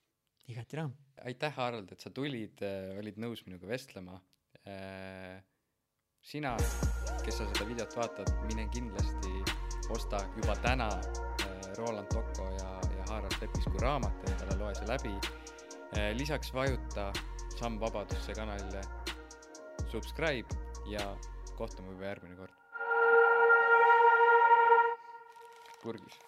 Igati rõõm. Aitäh, Harald, et sa tulid, olid nõus minuga vestlema. Sina, kes sa seda videot vaatad, mine kindlasti osta juba täna Roland Tocco ja, ja Harald Leppisku raamat, endale loe see läbi. Lisaks vajuta Samm Vabadusse kanalile subscribe ja kohtume juba järgmine kord. Purgis.